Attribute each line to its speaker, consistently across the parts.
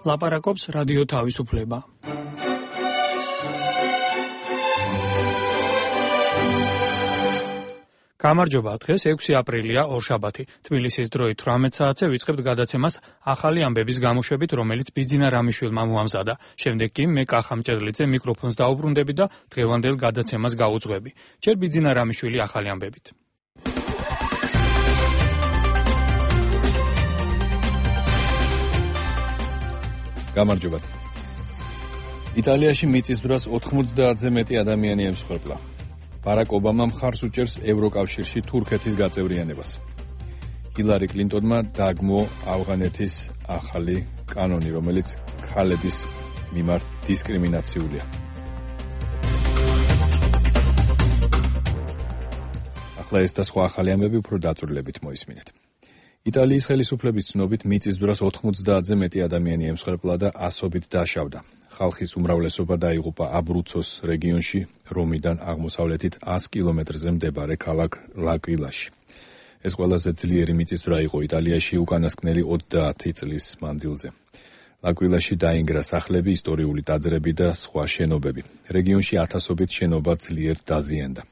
Speaker 1: ლაპარაკობს რადიო თავისუფლება. გამარჯობა, დღეს 6 აპრილია, ორშაბათი. თბილისის დროით 18 საათზე ვიწყებთ გადაცემას ახალი ამბების გამოშვებით, რომელიც ბიძინა რამიშვილმა მოამზადა. შემდეგ კი მე კახა მჭედლიძე მიკროფონს დაუბრუნდები და დღევანდელ გადაცემას გაუძღვები. ჯერ ბიძინა რამიშვილი ახალი ამბებით.
Speaker 2: გამარჯობა. იტალიაში მიწისძვრას 90-ზე მეტი ადამიანი ემსხვერპლა. ბარაკ ობამამ მხარს უჭერს ევროკავშირში თურქეთის გაწევრიანებას. ჰილარი კლინტონმა დაგმო ავღანეთის ახალი კანონი, რომელიც ქალების მიმართ დისკრიმინაციულია. ახლა ეს და სხვა ახალი ამბები უფრო დაწვრილებით მოისმინეთ. იტალიის ხელისუფლების ცნობით მიწისძვრას 90-ზე მეტი ადამიანი ემსხვერპლა და ასობით დაშავდა. ხალხის უმრავლესობა დაიღუპა აბრუცოს რეგიონში, რომიდან აღმოსავლეთით 100 კილომეტრზე მდებარე ქალაქ ლაკვილაში. ეს ყველაზე ძლიერი მიწისძვრა იყო იტალიაში უკანასკნელი 30 წლის მანძილზე. ლაკვილაში დაინგრა სახლები, ისტორიული ტაძრები და სხვა შენობები. რეგიონში ათასობით შენობა ძლიერ დაზიანდა.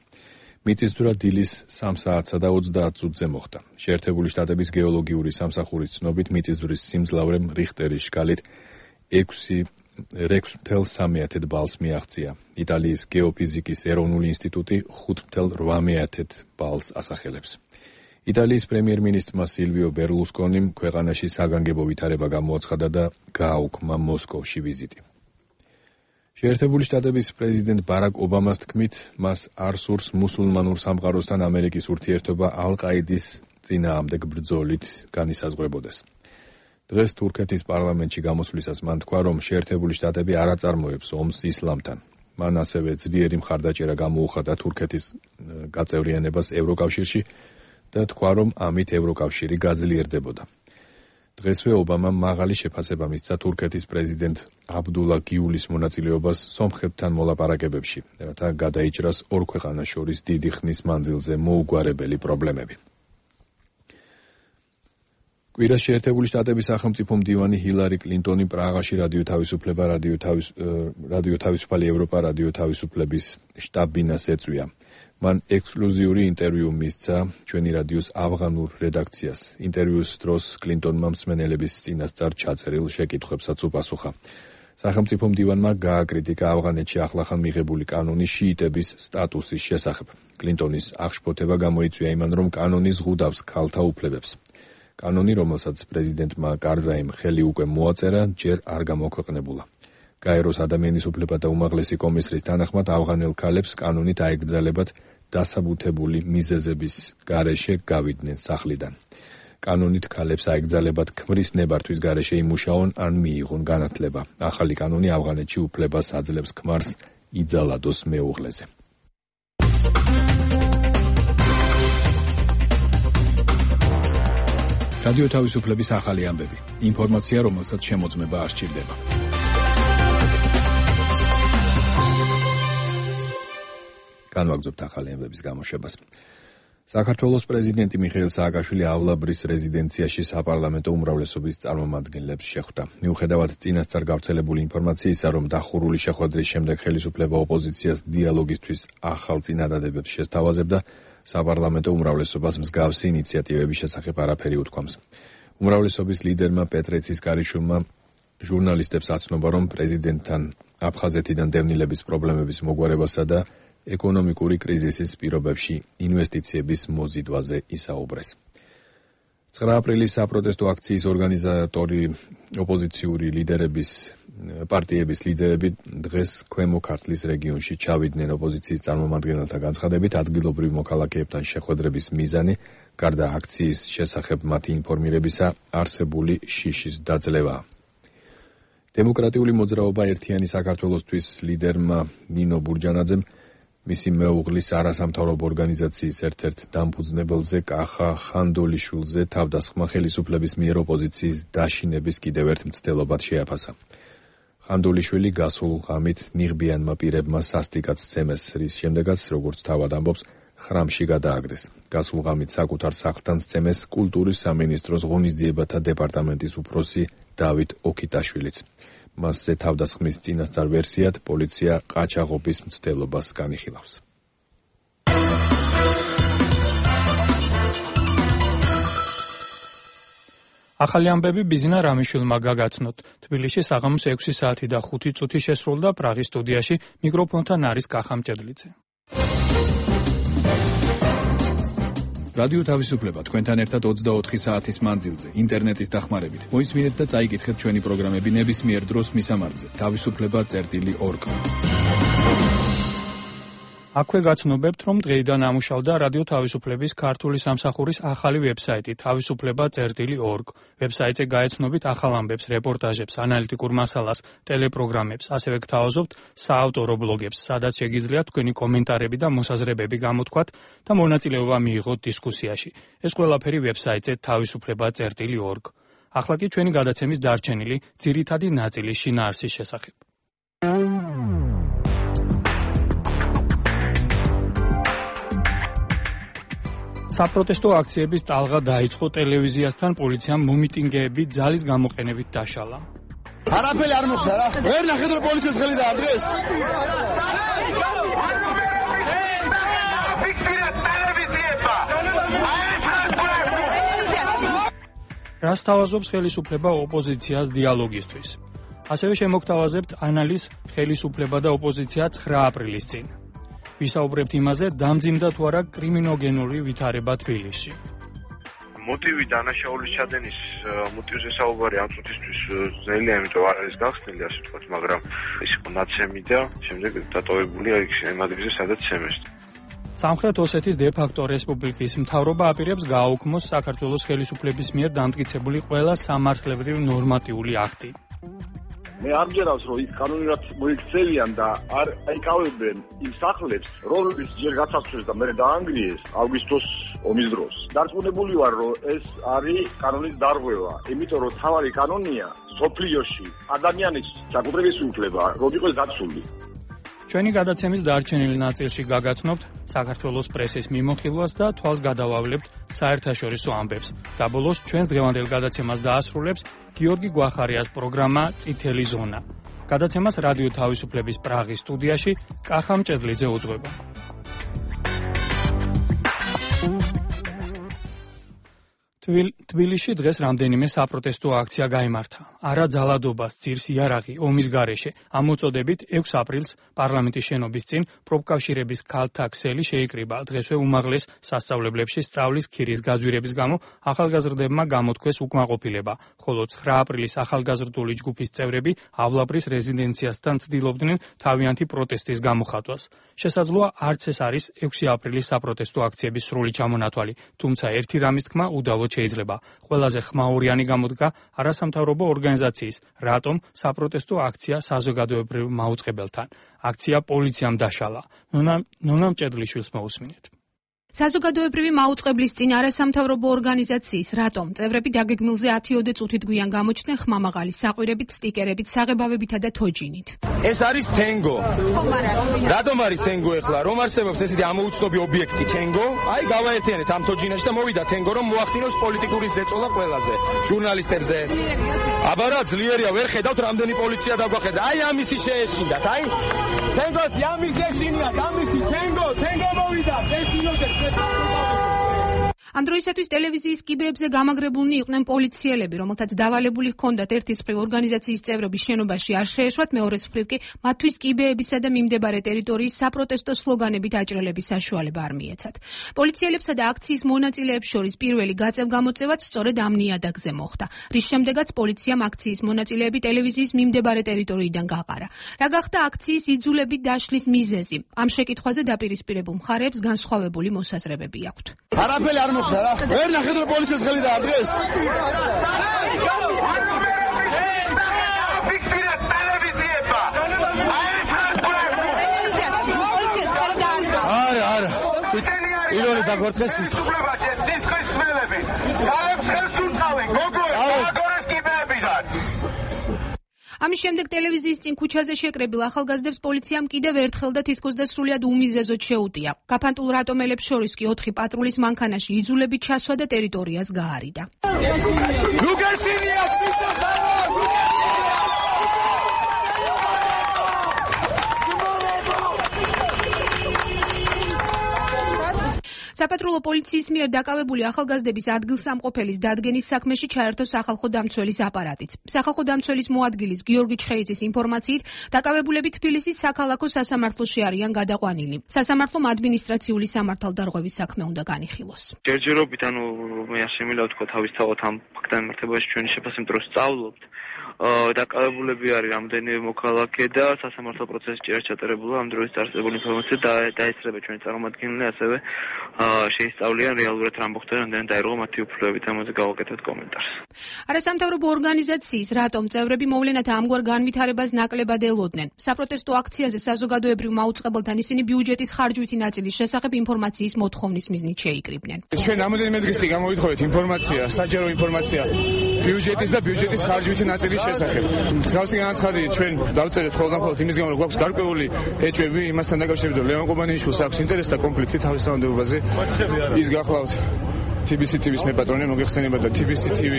Speaker 2: მიწისძვრა დილის 3 საათსა და 30 წუთზე მოხდა. შეერთებული შტატების გეოლოგიური სამსახურის ცნობით მიწისძვრის სიმძლავრემ რიხტერის სკალით 6.3 ბალს მიაღწია. იტალიის გეოფიზიკის ეროვნული ინსტიტუტი 5.8 ბალს ასახელებს. იტალიის პრემიერ-მინისტრმა სილვიო ბერლუსკონიმ ქვეყანაში საგანგებო ვითარება გამოაცხადა და გააუქმა მოსკოვში ვიზიტი. შეერთებული შტატების პრეზიდენტ ბარაკ ობამას თქმით, მას არ სურს მუსულმანურ სამყაროსთან ამერიკის ურთიერთობა ალ-ყაიდის წინააღმდეგ ბრძოლით განისაზღვრებოდეს. დღეს თურქეთის პარლამენტში გამოსვლისას მან თქვა, რომ შეერთებული შტატები არ აწარმოებს ომს ისლამთან. მან ასევე ძლიერი მხარდაჭერა გამოუხადა თურქეთის გაწევრიანებას ევროკავშირში და თქვა, რომ ამით ევროკავშირი გაძლიერდებოდა. დღესვე ობამამ მაღალი შეფასება მისცა თურქეთის პრეზიდენტ აბდულა გიულის მონაწილეობას სომხებთან მოლაპარაკებებში, რათა გადაიჭრას ორ ქვეყანას შორის დიდი ხნის მანძილზე მოუგვარებელი პრობლემები. კვირას შეერთებული შტატების სახელმწიფო მდივანი ჰილარი კლინტონი პრაღაში რადიო თავისუფალი ევროპა რადიო თავისუფლების შტაბ-ბინას ეწვია. მან ექსკლუზიური ინტერვიუ მისცა ჩვენი რადიოს ავღანურ რედაქციას. ინტერვიუს დროს კლინტონმა მსმენელების წინასწარ ჩაწერილ შეკითხვებსაც უპასუხა. სახელმწიფო მდივანმა გააკრიტიკა ავღანეთში ახლახან მიღებული კანონი შიიტების სტატუსის შესახებ. კლინტონის აღშფოთება გამოიწვია იმან, რომ კანონი ზღუდავს ქალთა უფლებებს. კანონი, რომელსაც პრეზიდენტმა კარზაიმ ხელი უკვე მოაწერა, ჯერ არ გამოქვეყნებულა. გაეროს ადამიანის უფლებათა უმაღლესი კომისრის თანახმად ავღანელ ქალებს კანონით აეკრძალებათ დასაბუთებული მიზეზების გარეშე გავიდნენ სახლიდან. კანონით ქალებს აეკრძალებათ ქმრის ნებართვის გარეშე იმუშაონ ან მიიღონ განათლება. ახალი კანონი ავღანეთში უფლებას აძლევს ქმარს იძალადოს მეუღლეზე. რადიო თავისუფლების ახალი ამბები. ინფორმაცია, რომელსაც შემოწმება არ სჭირდება. განვაგრძობთ ახალი ამბების გამოშვებას. საქართველოს პრეზიდენტი მიხეილ სააკაშვილი ავლაბრის რეზიდენციაში საპარლამენტო უმრავლესობის წარმომადგენლებს შეხვდა. მიუხედავად წინასწარ გავრცელებული ინფორმაციისა, რომ დახურული შეხვედრის შემდეგ ხელისუფლება ოპოზიციას დიალოგისთვის ახალ წინადადებებს შესთავაზებდა, საპარლამენტო უმრავლესობას მსგავსი ინიციატივების შესახებ არაფერი უთქვამს. უმრავლესობის ლიდერმა პეტრეცის კარიშვილმა ჟურნალისტებს აცნობა, რომ პრეზიდენტთან აფხაზეთიდან დევნილების პრობლემების მოგვარებასა და ეკონომიკური კრიზისის პირობებში ინვესტიციების მოზიდვაზე ისაუბრეს. 9 აპრილის საპროტესტო აქციის ორგანიზატორი ოპოზიციური პარტიების ლიდერები დღეს ქვემო ქართლის რეგიონში ჩავიდნენ ოპოზიციის წარმომადგენელთა განცხადებით, ადგილობრივ მოქალაქეებთან შეხვედრების მიზანი, გარდა აქციის შესახებ მათი ინფორმირებისა, არსებული შიშის დაძლევაა. დემოკრატიული მოძრაობა ერთიანი საქართველოსთვის ლიდერმა ნინო ბურჯანაძემ მისი მეუღლის არასამთავრობო ორგანიზაციის ერთ-ერთ დამფუძნებელზე კახა ხანდოლიშვილზე თავდასხმა ხელისუფლების მიერ ოპოზიციის დაშინების კიდევ ერთ მცდელობად შეაფასა. ხანდოლიშვილი გასულ ღამით ნიღბიანმა პირებმა სასტიკად სცემეს, რის შემდეგაც, როგორც თავად ამბობს, ხრამში გადააგდეს. გასულ ღამით საკუთარ სახლთან სცემეს კულტურის სამინისტროს ღონისძიებათა დეპარტამენტის უფროსი დავით ოქიტაშვილიც. მასზე თავდასხმის წინასწარ ვერსიად პოლიცია ყაჩაღობის მცდელობას განიხილავს.
Speaker 1: ახალი ამბები ბიზნა რამიშვილმა გაგაცნოთ. თბილისში საღამოს 6 საათი და 5 წუთი შესრულდა პრაღის სტუდიაში მიკროფონთან არის კახა მჭედლიძე.
Speaker 3: რადიო თავისუფლება თქვენთან ერთად 24 საათის მანძილზე ინტერნეტის დახმარებით. მოისმინეთ და წაიკითხეთ ჩვენი პროგრამები ნებისმიერ დროს მისამართზე. თავისუფლება.org.
Speaker 1: აქვე გაცნობებთ, რომ დღეიდან ამუშავდა რადიო თავისუფლების ქართული სამსახურის ახალი ვებსაიტი თავისუფლება.org. ვებსაიტზე გაეცნობით ახალ ამბებს, რეპორტაჟებს, ანალიტიკურ მასალას, ტელეპროგრამებს, ასევე გთავაზობთ საავტორო ბლოგებს, სადაც შეგიძლიათ თქვენი კომენტარები და მოსაზრებები გამოთქვათ და მონაწილეობა მიიღოთ დისკუსიაში. ეს ყველაფერი ვებსაიტზე თავისუფლება.org. ახლა კი ჩვენი გადაცემის დარჩენილი ძირითადი ნაწილი შინაარსის შესახებ. საპროტესტო აქციების ტალღა დაიწყო ტელევიზიასთან პოლიციამ მომიტინგეები ძალის გამოყენებით დაშალა.
Speaker 4: არაფერი არ მოხდა რა. ვერ ნახეთ რომ პოლიციას ხელი დაარღვეს.
Speaker 1: რას თავაზობს ხელისუფლება ოპოზიციას დიალოგისთვის? ასევე შემოგთავაზებთ ანალიზ ხელისუფლება და ოპოზიცია 9 აპრილის წინ. ვისაუბრებთ იმაზე, დამძიმდა თუ არა კრიმინოგენური ვითარება თბილისში.
Speaker 5: მოტივი დანაშაულის ჩადენის მოტივზე საუბარი ამ წუთისთვის ძნელია, იმიტომ არ არის გახსნილი, ასე ვთქვათ, მაგრამ ის იყო ნაცემი და შემდეგ დატოვებულია იქ იმ ადგილზე, სადაც ცემეს.
Speaker 1: სამხრეთ ოსეთის დე-ფაქტო რესპუბლიკის მთავრობა აპირებს გააუქმოს საქართველოს ხელისუფლების მიერ დამტკიცებული ყველა სამართლებრივ ნორმატიული აქტი.
Speaker 4: მე ამჯერავს, რომ ის კანონურად მოიქცევიან და არ აიკავებენ იმ სახლებს, რომლებიც ჯერ გასაცვლეს და მერე დაანგრიეს აგვისტოს ომის დროს. დარწმუნებული ვარ, რომ ეს არის კანონის დარღვევა, იმიტომ რომ თავარი კანონია სოფლიოში ადამიანის საკუთრების უფლება, რომ იყოს დაცული.
Speaker 1: ჩვენი გადაცემის დარჩენილ ნაწილში გაგაცნობთ საქართველოს პრესის მიმოხილვას და თვალს გადავავლებთ საერთაშორისო ამბებს. და ბოლოს ჩვენს დღევანდელ გადაცემას დაასრულებს გიორგი გვახარიას პროგრამა წითელი ზონა. გადაცემას რადიო თავისუფლების პრაღის სტუდიაში კახა მჭედლიძე უძღვება. თბილისში დღეს რამდენიმე საპროტესტო აქცია გაიმართა. არა ძალადობას, ძირს იარაღი, ომის გარეშე. ამ მოწოდებით 6 აპრილს პარლამენტის შენობის წინ პროფკავშირების ქალთა ქსელი შეიკრიბა. დღესვე უმაღლეს სასწავლებლებში სწავლის ქირის გაძვირების გამო ახალგაზრდებმა გამოთქვეს უკმაყოფილება, ხოლო 9 აპრილის ახალგაზრდული ჯგუფის წევრები ავლაბრის რეზიდენციასთან ცდილობდნენ თავიანთი პროტესტის გამოხატვას. შესაძლოა არც ეს არის 6 აპრილის საპროტესტო აქციების სრული ჩამონათვალი, თუმცა ერთი რამის თქმა უდავოდ შეიძლება. ყველაზე ხმაურიანი გამოდგა არასამთავრობო ორგანიზაციის რატომ საპროტესტო აქცია საზოგადოებრივ მაუწყებელთან. აქცია პოლიციამ დაშალა. ნონა მჭედლიშვილს მოусმინეთ.
Speaker 6: საზოგადოებრივი მაუწყებლის წინ არასამთავრობო ორგანიზაციის რატომ წევრები დაგეგმილზე 10-ოდე წუთით გვიან გამოჩნდნენ ხმამაღალი საყვირებით, სტიკერებით, საღებავებითა და თოჯინით.
Speaker 4: ეს არის თენგო. რატომ არის თენგო ახლა? რომ არსებობს ესეთი ამოუცნობი ობიექტი თენგო? აი გავაერთიანეთ ამ თოჯინაში და მოვიდა თენგო, რომ მოახდინოს პოლიტიკური ზეწოლა ყველაზე ჟურნალისტებზე. აბარა ძლიერია, ვერ ხედავთ რამდენი პოლიცია დაგვახედა. აი ამისი შეეშინდათ, აი თენგოც ამისი ეშინიათ, ამისი თენგო მოვიდა, ეშინოთ.
Speaker 6: ამ დროისათვის ტელევიზიის კიბეებზე გამაგრებულნი იყვნენ პოლიციელები, რომელთაც დავალებული ჰქონდათ ერთის მხრივ ორგანიზაციის წევრები შენობაში არ შეეშვათ, მეორეს მხრივ კი მათთვის კიბეებისა და მიმდებარე ტერიტორიის საპროტესტო სლოგანებით აჭრელების საშუალება არ მიეცათ. პოლიციელებსა და აქციის მონაწილეებს შორის პირველი გაწევ-გამოწევაც სწორედ ამ ნიადაგზე მოხდა, რის შემდეგაც პოლიციამ აქციის მონაწილეები ტელევიზიის მიმდებარე ტერიტორიიდან გაყარა. რა გახდა აქციის იძულებით დაშლის მიზეზი? ამ შეკითხვაზე დაპირისპირებულ მხარეებს განსხვავებული მოსაზრებები აქვთ.
Speaker 4: არაფერი არ მოხდა რა. ვერ ნახეთ რომ პოლიციას ხელი დაარღვეს. არა. ირონი დაგორთხეს თვითონ. სისხლის სმელები. გალებს ხელს უწყავენ, გოგოებს, აგორეს კიბეებიდან.
Speaker 6: ამის შემდეგ ტელევიზიის წინ ქუჩაზე შეკრებილ ახალგაზრდებს პოლიციამ კიდევ ერთხელ და თითქოს და სრულიად უმიზეზოდ შეუტია. გაფანტულ რატომელებს შორის კი 4 პატრულის მანქანაში იძულებით ჩასვა და ტერიტორიას გაარიდა. საპატრულო პოლიციის მიერ დაკავებული ახალგაზრდების ადგილსამყოფელის დადგენის საქმეში ჩაერთო სახალხო დამცველის აპარატიც. სახალხო დამცველის მოადგილის გიორგი ჩხეიძის ინფორმაციით, დაკავებულები თბილისის საქალაქო სასამართლოში არიან გადაყვანილი. სასამართლომ ადმინისტრაციული სამართალდარღვევის საქმე უნდა განიხილოს.
Speaker 5: ჯერჯერობით, მე ასე მინდა ვთქვა თავისთავად ამ ფაქტთან მიმართებაში ჩვენი შეფასემ დროს სწავლობთ. დაკავებულები არის რამდენიმე მოქალაქე და სასამართლო პროცესი ჭირა ჩატარებულა ამ დროის წარსებული ინფორმაცია დაეცრება ჩვენი წარმომადგენლები, ასევე შეისწავლიან რეალურად რა მოხდა, რამდენად დაირღვა მათი უფლებებით, ამაზე გავაკეთეთ კომენტარს.
Speaker 6: არასამთავრობო ორგანიზაციის რატომ წევრები მოვლენათა ამგვარ განვითარებას ნაკლებად ელოდნენ. საპროტესტო აქციაზე საზოგადოებრივ მაუწყებელთან ისინი ბიუჯეტის ხარჯვითი ნაწილის შესახებ ინფორმაციის მოთხოვნის მიზნით შეიკრიბნენ.
Speaker 4: ჩვენ რამოდენიმე დღეში გამოვითხოვეთ ინფორმაცია, საჯარო ინფორმაცია ბიუჯეტის და ბიუჯეტის ხარჯვითი ნაწილის შესახებ. მსგავსი განაცხადი ჩვენ დავწერეთ ხოლმე იმის გამო, რომ გვაქვს გარკვეული ეჭვები იმასთან დაკავშირებით, რომ ლევან კობანიშვილს აქვს ინტერესი და კონფლიქტი თავის თანამდებობაზე. ის გახლავთ TBC TV-ს მეპატრონე მოგეხსენება და TBC TV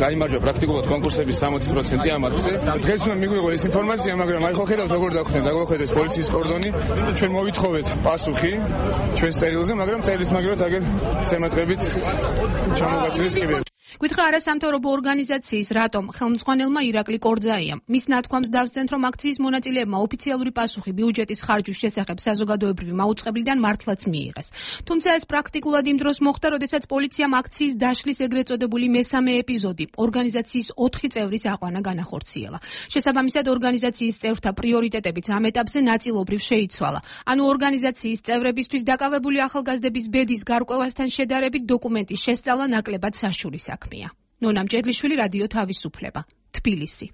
Speaker 4: გაიმარჯვა პრაქტიკულად კონკურსების 60% ამ აქზე. დღეს უნდა მიგვიღო ეს ინფორმაცია, მაგრამ აი ხო ხედავთ როგორ დაგვახვდეს პოლიციის კორდონი. ჩვენ მოვითხოვეთ პასუხი ჩვენს წერილზე, მაგრამ წერილს მაგრად აგერ ცემატყებით ჩამოგაცილეს კიბეები.
Speaker 6: გითხრა არასამთავრობო ორგანიზაციის რატომ ხელმძღვანელმა ირაკლი კორძაიამ. მის ნათქვამს დავსწრეთ, რომ აქციის მონაწილეებმა ოფიციალური პასუხი ბიუჯეტის ხარჯვის შესახებ საზოგადოებრივი მაუწყებლიდან მართლაც მიიღეს. თუმცა ეს პრაქტიკულად იმ დროს მოხდა, როდესაც პოლიციამ აქციის დაშლის ეგრეთ წოდებული მესამე ეპიზოდი ორგანიზაციის 4 წევრის აყვანა განახორციელა. შესაბამისად, ორგანიზაციის წევრთა პრიორიტეტებიც ამ ეტაპზე ნაწილობრივ შეიცვალა. ანუ ორგანიზაციის წევრებისთვის დაკავებული ახალგაზრდების ბედის გარკვევასთან შედარებით დოკუმენტის შესწავლა ნაკლებად საშუალო საქმეა. ნონა მჭედლიშვილი, რადიო თავისუფლება, თბილისი.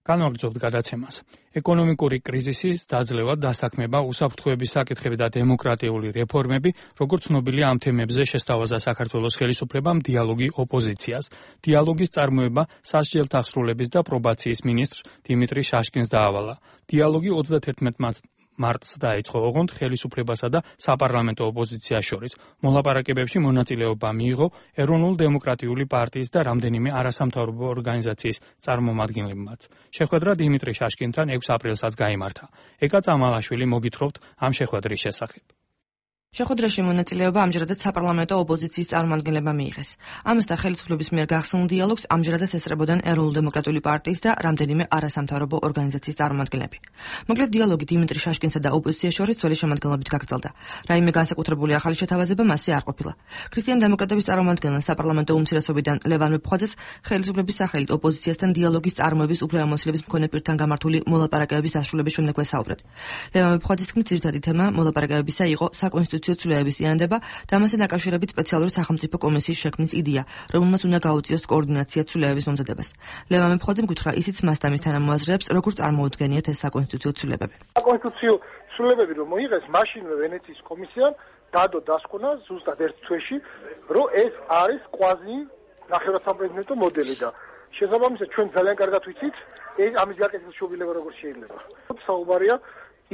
Speaker 1: განვაგრძობთ გადაცემას. ეკონომიკური კრიზისის დაძლევა, დასაქმება, უსაფრთხოების საკითხები და დემოკრატიული რეფორმები, როგორც ცნობილია, ამ თემებზე შესთავაზა საქართველოს ხელისუფლებამ დიალოგი ოპოზიციას. დიალოგის წარმოება სასჯელთა აღსრულების და პრობაციის მინისტრ დიმიტრი შაშკინს დაავალა. დიალოგი 31 მარტს დაიწყო, ოღონდ ხელისუფლებასა და საპარლამენტო ოპოზიციას შორის. მოლაპარაკებებში მონაწილეობა მიიღო ეროვნულ-დემოკრატიული პარტიის და რამდენიმე არასამთავრობო ორგანიზაციის წარმომადგენლებმაც. შეხვედრა დიმიტრი შაშკინთან 6 აპრილსაც გაიმართა. ეკა წამალაშვილი მოგითხრობთ ამ შეხვედრის შესახებ.
Speaker 7: შეხვედრაში მონაწილეობა ამჯერადაც საპარლამენტო ოპოზიციის წარმომადგენლებმა მიიღეს. ამასთან ხელისუფლების მიერ გახსნილ დიალოგს ამჯერადაც ესწრებოდნენ ეროვნულ-დემოკრატიული პარტიის და რამდენიმე არასამთავრობო ორგანიზაციის წარმომადგენლები. მოკლედ, დიალოგი დიმიტრი შაშკინსა და ოპოზიციას შორის ძველი შემადგენლობით გაგრძელდა. რაიმე განსაკუთრებული ახალი შეთავაზება მასზე არ ყოფილა. ქრისტიან-დემოკრატების წარმომადგენელ საპარლამენტო უმცირესობიდან ლევან მეფხვაძეს ხელისუფლების სახელით ოპოზიციასთან დიალოგის წარმოების უფლებამოსილების მქონე პირთან გამართული მოლაპარაკებების დასრულების შემდეგ ვესაუბრეთ. ლევან მეფხვაძის თქმით, ძირითადი თემა მოლაპარაკებებისა იყო საკონსტიტუციო ცვლილებების იანდება და ამასთან დაკავშირებით სპეციალური სახელმწიფო კომისიის შექმნის იდეა, რომელმაც უნდა გაუწიოს კოორდინაცია ცვლილებების მომზადებას. ლევან მეფხვაძემ გითხრა, ისიც მას და მის თანამოაზრეებს როგორ წარმოუდგენიათ ეს საკონსტიტუციო ცვლილებები.
Speaker 8: საკონსტიტუციო ცვლილებები რომ მოიღეს, მაშინვე ვენეციის კომისიამ დადო დასკვნა ზუსტად ერთ თვეში, რომ ეს არის კვაზი ნახევარსამპრეზიდენტო მოდელი და შესაბამისად ჩვენ ძალიან კარგად ვიცით, ამის გაკეთების შობილება როგორ შეიძლება. საუბარია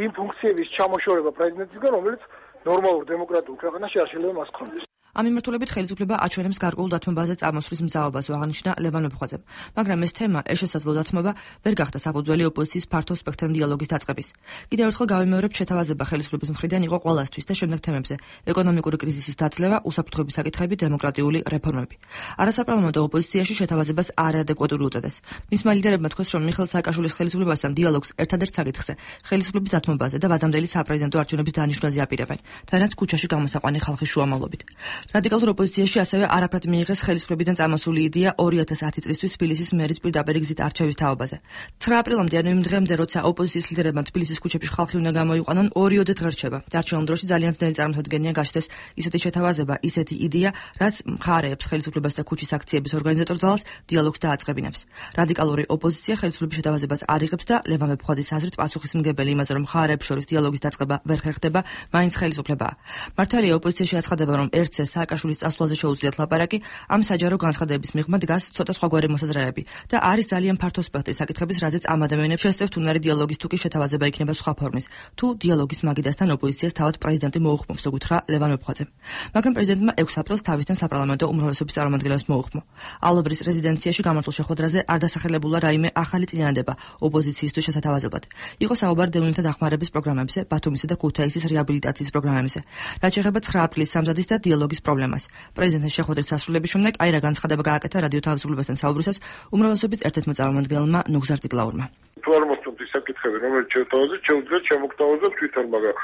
Speaker 8: იმ ფუნქციების ჩამოშორება პრეზიდენტისგან, რომელიც ნორმალურ დემოკრატიულ ქვეყანაში არ შეიძლება მას ქონდეს.
Speaker 7: ამ მიმართულებით ხელისუფლება აჩვენებს გარკვეულ დათმობაზე წარმოსვლის მზაობას, აღნიშნა ლევან მეფხვაძემ. მაგრამ ეს თემა, ეს შესაძლო დათმობა ვერ გახდა საფუძველი ოპოზიციის ფართო სპექტრთან დიალოგის დაწყების. კიდევ ერთხელ გავიმეორებ, შეთავაზება ხელისუფლების მხრიდან იყო ყველასთვის და შემდეგ თემებზე: ეკონომიკური კრიზისის დაძლევა, უსაფრთხოების საკითხები, დემოკრატიული რეფორმები. არასაპარლამენტო ოპოზიციაში შეთავაზებას არაადეკვატური უწოდეს. მისმა ლიდერებმა თქვეს, რომ მიხეილ სააკაშვილის ხელისუფლებასთან დიალოგს ერთადერთ საკითხზე, ხელისუფლების დათმობაზე და ვადამდელი საპრეზიდენტო არჩევნების დანიშვნაზე აპირებენ, თანაც ქუჩაში გამოსაყვანი ხალხის შუამავლობით. რადიკალურ ოპოზიციაში ასევე არაფრად მიიღეს ხელისუფლებიდან წამოსული იდეა 2010 წლისთვის თბილისის მერის პირდაპირ გზით არჩევის თაობაზე. 9 აპრილამდე, ანუ იმ დღემდე, როცა ოპოზიციის ლიდერებმა თბილისის ქუჩებში ხალხი უნდა გამოიყვანონ, 2-ოდეთ ღირჩება. დარჩენილ დროში ძალიან ძნელი წარმოუდგენია გაჩნდეს ისეთი შეთავაზება, ისეთი იდეა, რაც მხარეებს ხელისუფლებას და ქუჩის აქციების ორგანიზატორ ძალას დიალოგს დააწყებინებს. რადიკალური ოპოზიცია ხელისუფლების შეთავაზებას არ იღებს და ლევან მეფხვაძის აზრით პასუხისმგებელი იმაზე, რომ მხარეებს შორის დიალოგის დაწყება ვერ ხერხდება, მაინც ხელისუფლებაა. მართალია ოპოზიციაში აცხადება, რომ ერთს ეს სააკაშვილის წასვლაზე შეუძლიათ ლაპარაკი, ამ საჯარო განცხადებების მიღმა დგას ცოტა სხვაგვარი მოსაზრებები და არის ძალიან ფართო სპექტრი საკითხების, რაზეც ამ ადამიანებს შესწევთ უნარი დიალოგის თუ კი შეთავაზება იქნება სხვა ფორმის, თუ დიალოგის მაგიდასთან ოპოზიციას თავად პრეზიდენტი მოუხმობს, გითხრა ლევან მეფხვაძემ. მაგრამ პრეზიდენტმა 6 აპრილს თავისთან საპარლამენტო უმრავლესობის წარმომადგენლებს მოუხმო. ალობრის რეზიდენციაში გამართულ შეხვედრაზე არ დასახელებულა რაიმე ახალი წინადადება ოპოზიციისთვის შესათავაზებლად. იყო საუბარი დევნილთა დახმარების პროგრამებზე, ბათუმისა და ქუთაისის რეაბილიტაციის პროგრამებზე. რაც შეეხება 9 აპრილის სამზადისს და დიალოგის პრობლემას. პრეზიდენტის შეხვედრის დასრულების შემდეგ აი რა განცხადება გააკეთა რადიო თავისუფლებასთან საუბრისას უმრავლესობის ერთ-ერთმა წარმომადგენელმა ნუგზარ ციკლაურმა.
Speaker 8: თუ არ მოსწონთ ის საკითხები, რომელიც შეთავაზეთ, შეუძლიათ შემოგთავაზოთ თვითონ, მაგრამ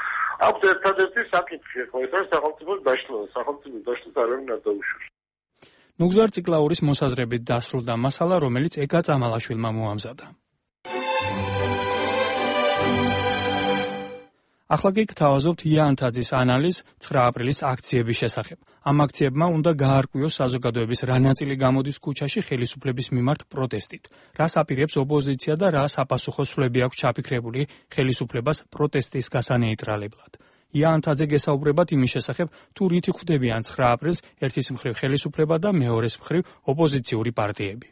Speaker 8: აქვს ერთადერთი საკითხი, ხო, ეს არის სახელმწიფოს დაშლა. სახელმწიფოს დაშლას არავინ არ დაუშვებს.
Speaker 1: ნუგზარ ციკლაურის მოსაზრებით დასრულდა მასალა, რომელიც ეკა წამალაშვილმა მოამზადა. ახლა კი გთავაზობთ იანთაძის ანალიზს 9 აპრილის აქციების შესახებ. ამ აქციებმა უნდა გაარკვიოს საზოგადოების რა ნაწილი გამოდის ქუჩაში ხელისუფლების მიმართ პროტესტით. რას აპირებს ოპოზიცია და რა საპასუხო სვლები აქვს ჩაფიქრებული ხელისუფლებას პროტესტის გასანეიტრალებლად. იანთაძე გესაუბრებათ იმის შესახებ, თუ რითი ხვდებიან 9 აპრილს ერთის მხრივ ხელისუფლება და მეორეს მხრივ ოპოზიციური პარტიები.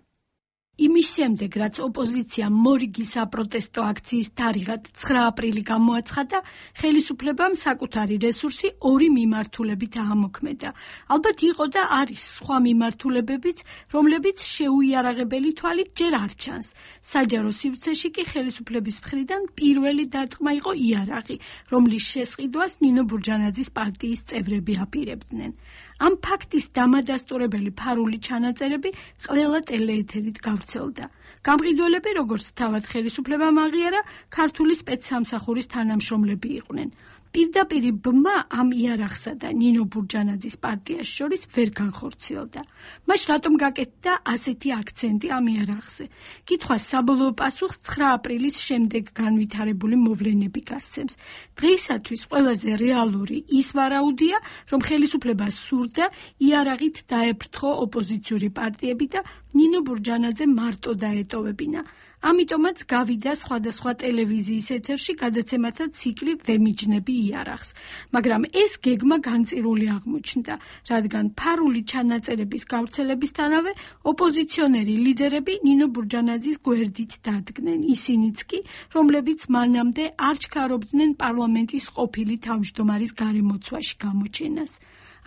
Speaker 9: იმის შემდეგ, რაც ოპოზიციამ მორიგი საპროტესტო აქციის თარიღად 9 აპრილი გამოაცხადა, ხელისუფლებამ საკუთარი რესურსი ორი მიმართულებით აამოქმედა. ალბათ იყო და არის სხვა მიმართულებებიც, რომლებიც შეუიარაღებელი თვალით ჯერ არ ჩანს. საჯარო სივრცეში კი ხელისუფლების მხრიდან პირველი დარტყმა იყო იარაღი, რომლის შესყიდვას ნინო ბურჯანაძის პარტიის წევრები აპირებდნენ. ამ ფაქტის დამადასტურებელი ფარული ჩანაწერები ყველა ტელეეთერით გავრცელდა. გამყიდველები, როგორც თავად ხელისუფლებამ აღიარა, ქართული სპეცსამსახურის თანამშრომლები იყვნენ. პირდაპირი ბმა ამ იარაღსა და ნინო ბურჯანაძის პარტიას შორის ვერ განხორციელდა. მაშ რატომ გაკეთდა ასეთი აქცენტი ამ იარაღზე? კითხვას საბოლოო პასუხს 9 აპრილის შემდეგ განვითარებული მოვლენები გასცემს. დღეისათვის ყველაზე რეალური ის ვარაუდია, რომ ხელისუფლებას სურდა იარაღით დაეფრთხო ოპოზიციური პარტიები და ნინო ბურჯანაძე მარტო დაეტოვებინა. ამიტომაც გავიდა სხვადასხვა ტელევიზიის ეთერში გადაცემათა ციკლი „ვემიჯნები იარაღს“. მაგრამ ეს გეგმა განწირული აღმოჩნდა, რადგან ფარული ჩანაწერების გავრცელებისთანავე ოპოზიციონერი ლიდერები ნინო ბურჯანაძის გვერდით დადგნენ, ისინიც კი, რომლებიც მანამდე არ ჩქარობდნენ პარლამენტის ყოფილი თავმჯდომარის გარემოცვაში გამოჩენას.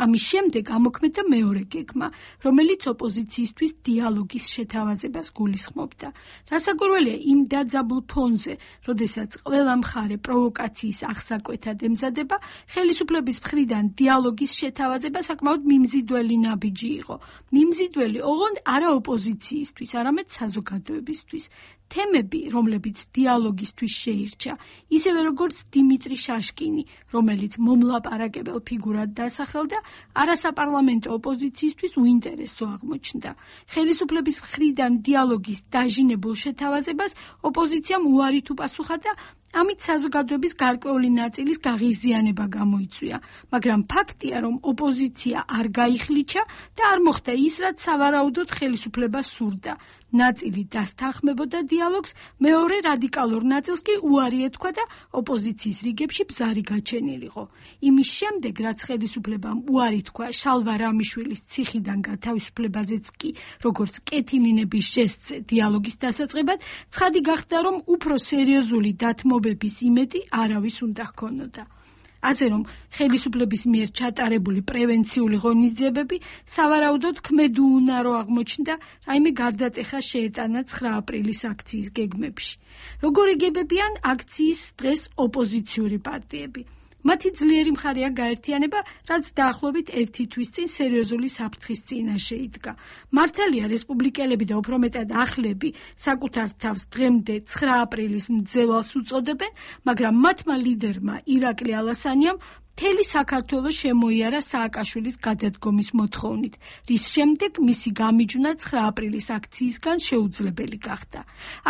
Speaker 9: ამის შემდეგ ამოქმედა მეორე გეგმა, რომელიც ოპოზიციისთვის დიალოგის შეთავაზებას გულისხმობდა. რასაკვირველია იმ დაძაბულ ფონზე, როდესაც ყველა მხარე პროვოკაციის აღსაკვეთად ემზადება, ხელისუფლების მხრიდან დიალოგის შეთავაზება საკმაოდ მიმზიდველი ნაბიჯი იყო. მიმზიდველი ოღონდ არა ოპოზიციისთვის, არამედ საზოგადოებისთვის. თემები, რომლებიც დიალოგისთვის შეირჩა, ისევე როგორც დიმიტრი შაშკინი, რომელიც მომლაპარაკებელ ფიგურად დასახელდა, არასაპარლამენტო ოპოზიციისთვის უინტერესო აღმოჩნდა. ხელისუფლების მხრიდან დიალოგის დაჟინებულ შეთავაზებას ოპოზიციამ უარით უპასუხა და ამით საზოგადოების გარკვეული ნაწილის გაღიზიანება გამოიწვია, მაგრამ ფაქტია, რომ ოპოზიცია არ გაიხლიჩა და არ მოხდა ის, რაც სავარაუდოდ ხელისუფლებას სურდა. ნაწილი დასთანხმებოდა დიალოგს, მეორე რადიკალურ ნაწილს კი უარი ეთქვა და ოპოზიციის რიგებში ბზარი გაჩენილიყო. იმის შემდეგ, რაც ხელისუფლებამ უარი თქვა შალვა რამიშვილის ციხიდან გათავისუფლებაზეც კი, როგორც კეთილინების ჟესტზე დიალოგის დასაწყებად, ცხადი გახდა, რომ უფრო სერიოზული დათმობების იმედი არავის უნდა ჰქონოდა. ასე რომ, ხელისუფლების მიერ ჩატარებული პრევენციული ღონისძიებები სავარაუდოდ ქმედუუნარო აღმოჩნდა, რაიმე გარდატეხა შეეტანა 9 აპრილის აქციის გეგმებში. როგორ იგებებიან აქციის დღეს ოპოზიციური პარტიები? მათი ძლიერი მხარეა გაერთიანება, რაც დაახლოებით 1 თვის წინ სერიოზული საფრთხის წინაშე იდგა. მართალია რესპუბლიკელები და უფრო მეტად ახლები საკუთარ თავს დღემდე 9 აპრილის მძევალს უწოდებენ, მაგრამ მათმა ლიდერმა ირაკლი ალასანიამ მთელი საქართველოს შემოიარა სააკაშვილის გადადგომის მოთხოვნით, რის შემდეგ მისი გამიჯვნა 9 აპრილის აქციისგან შეუძლებელი გახდა.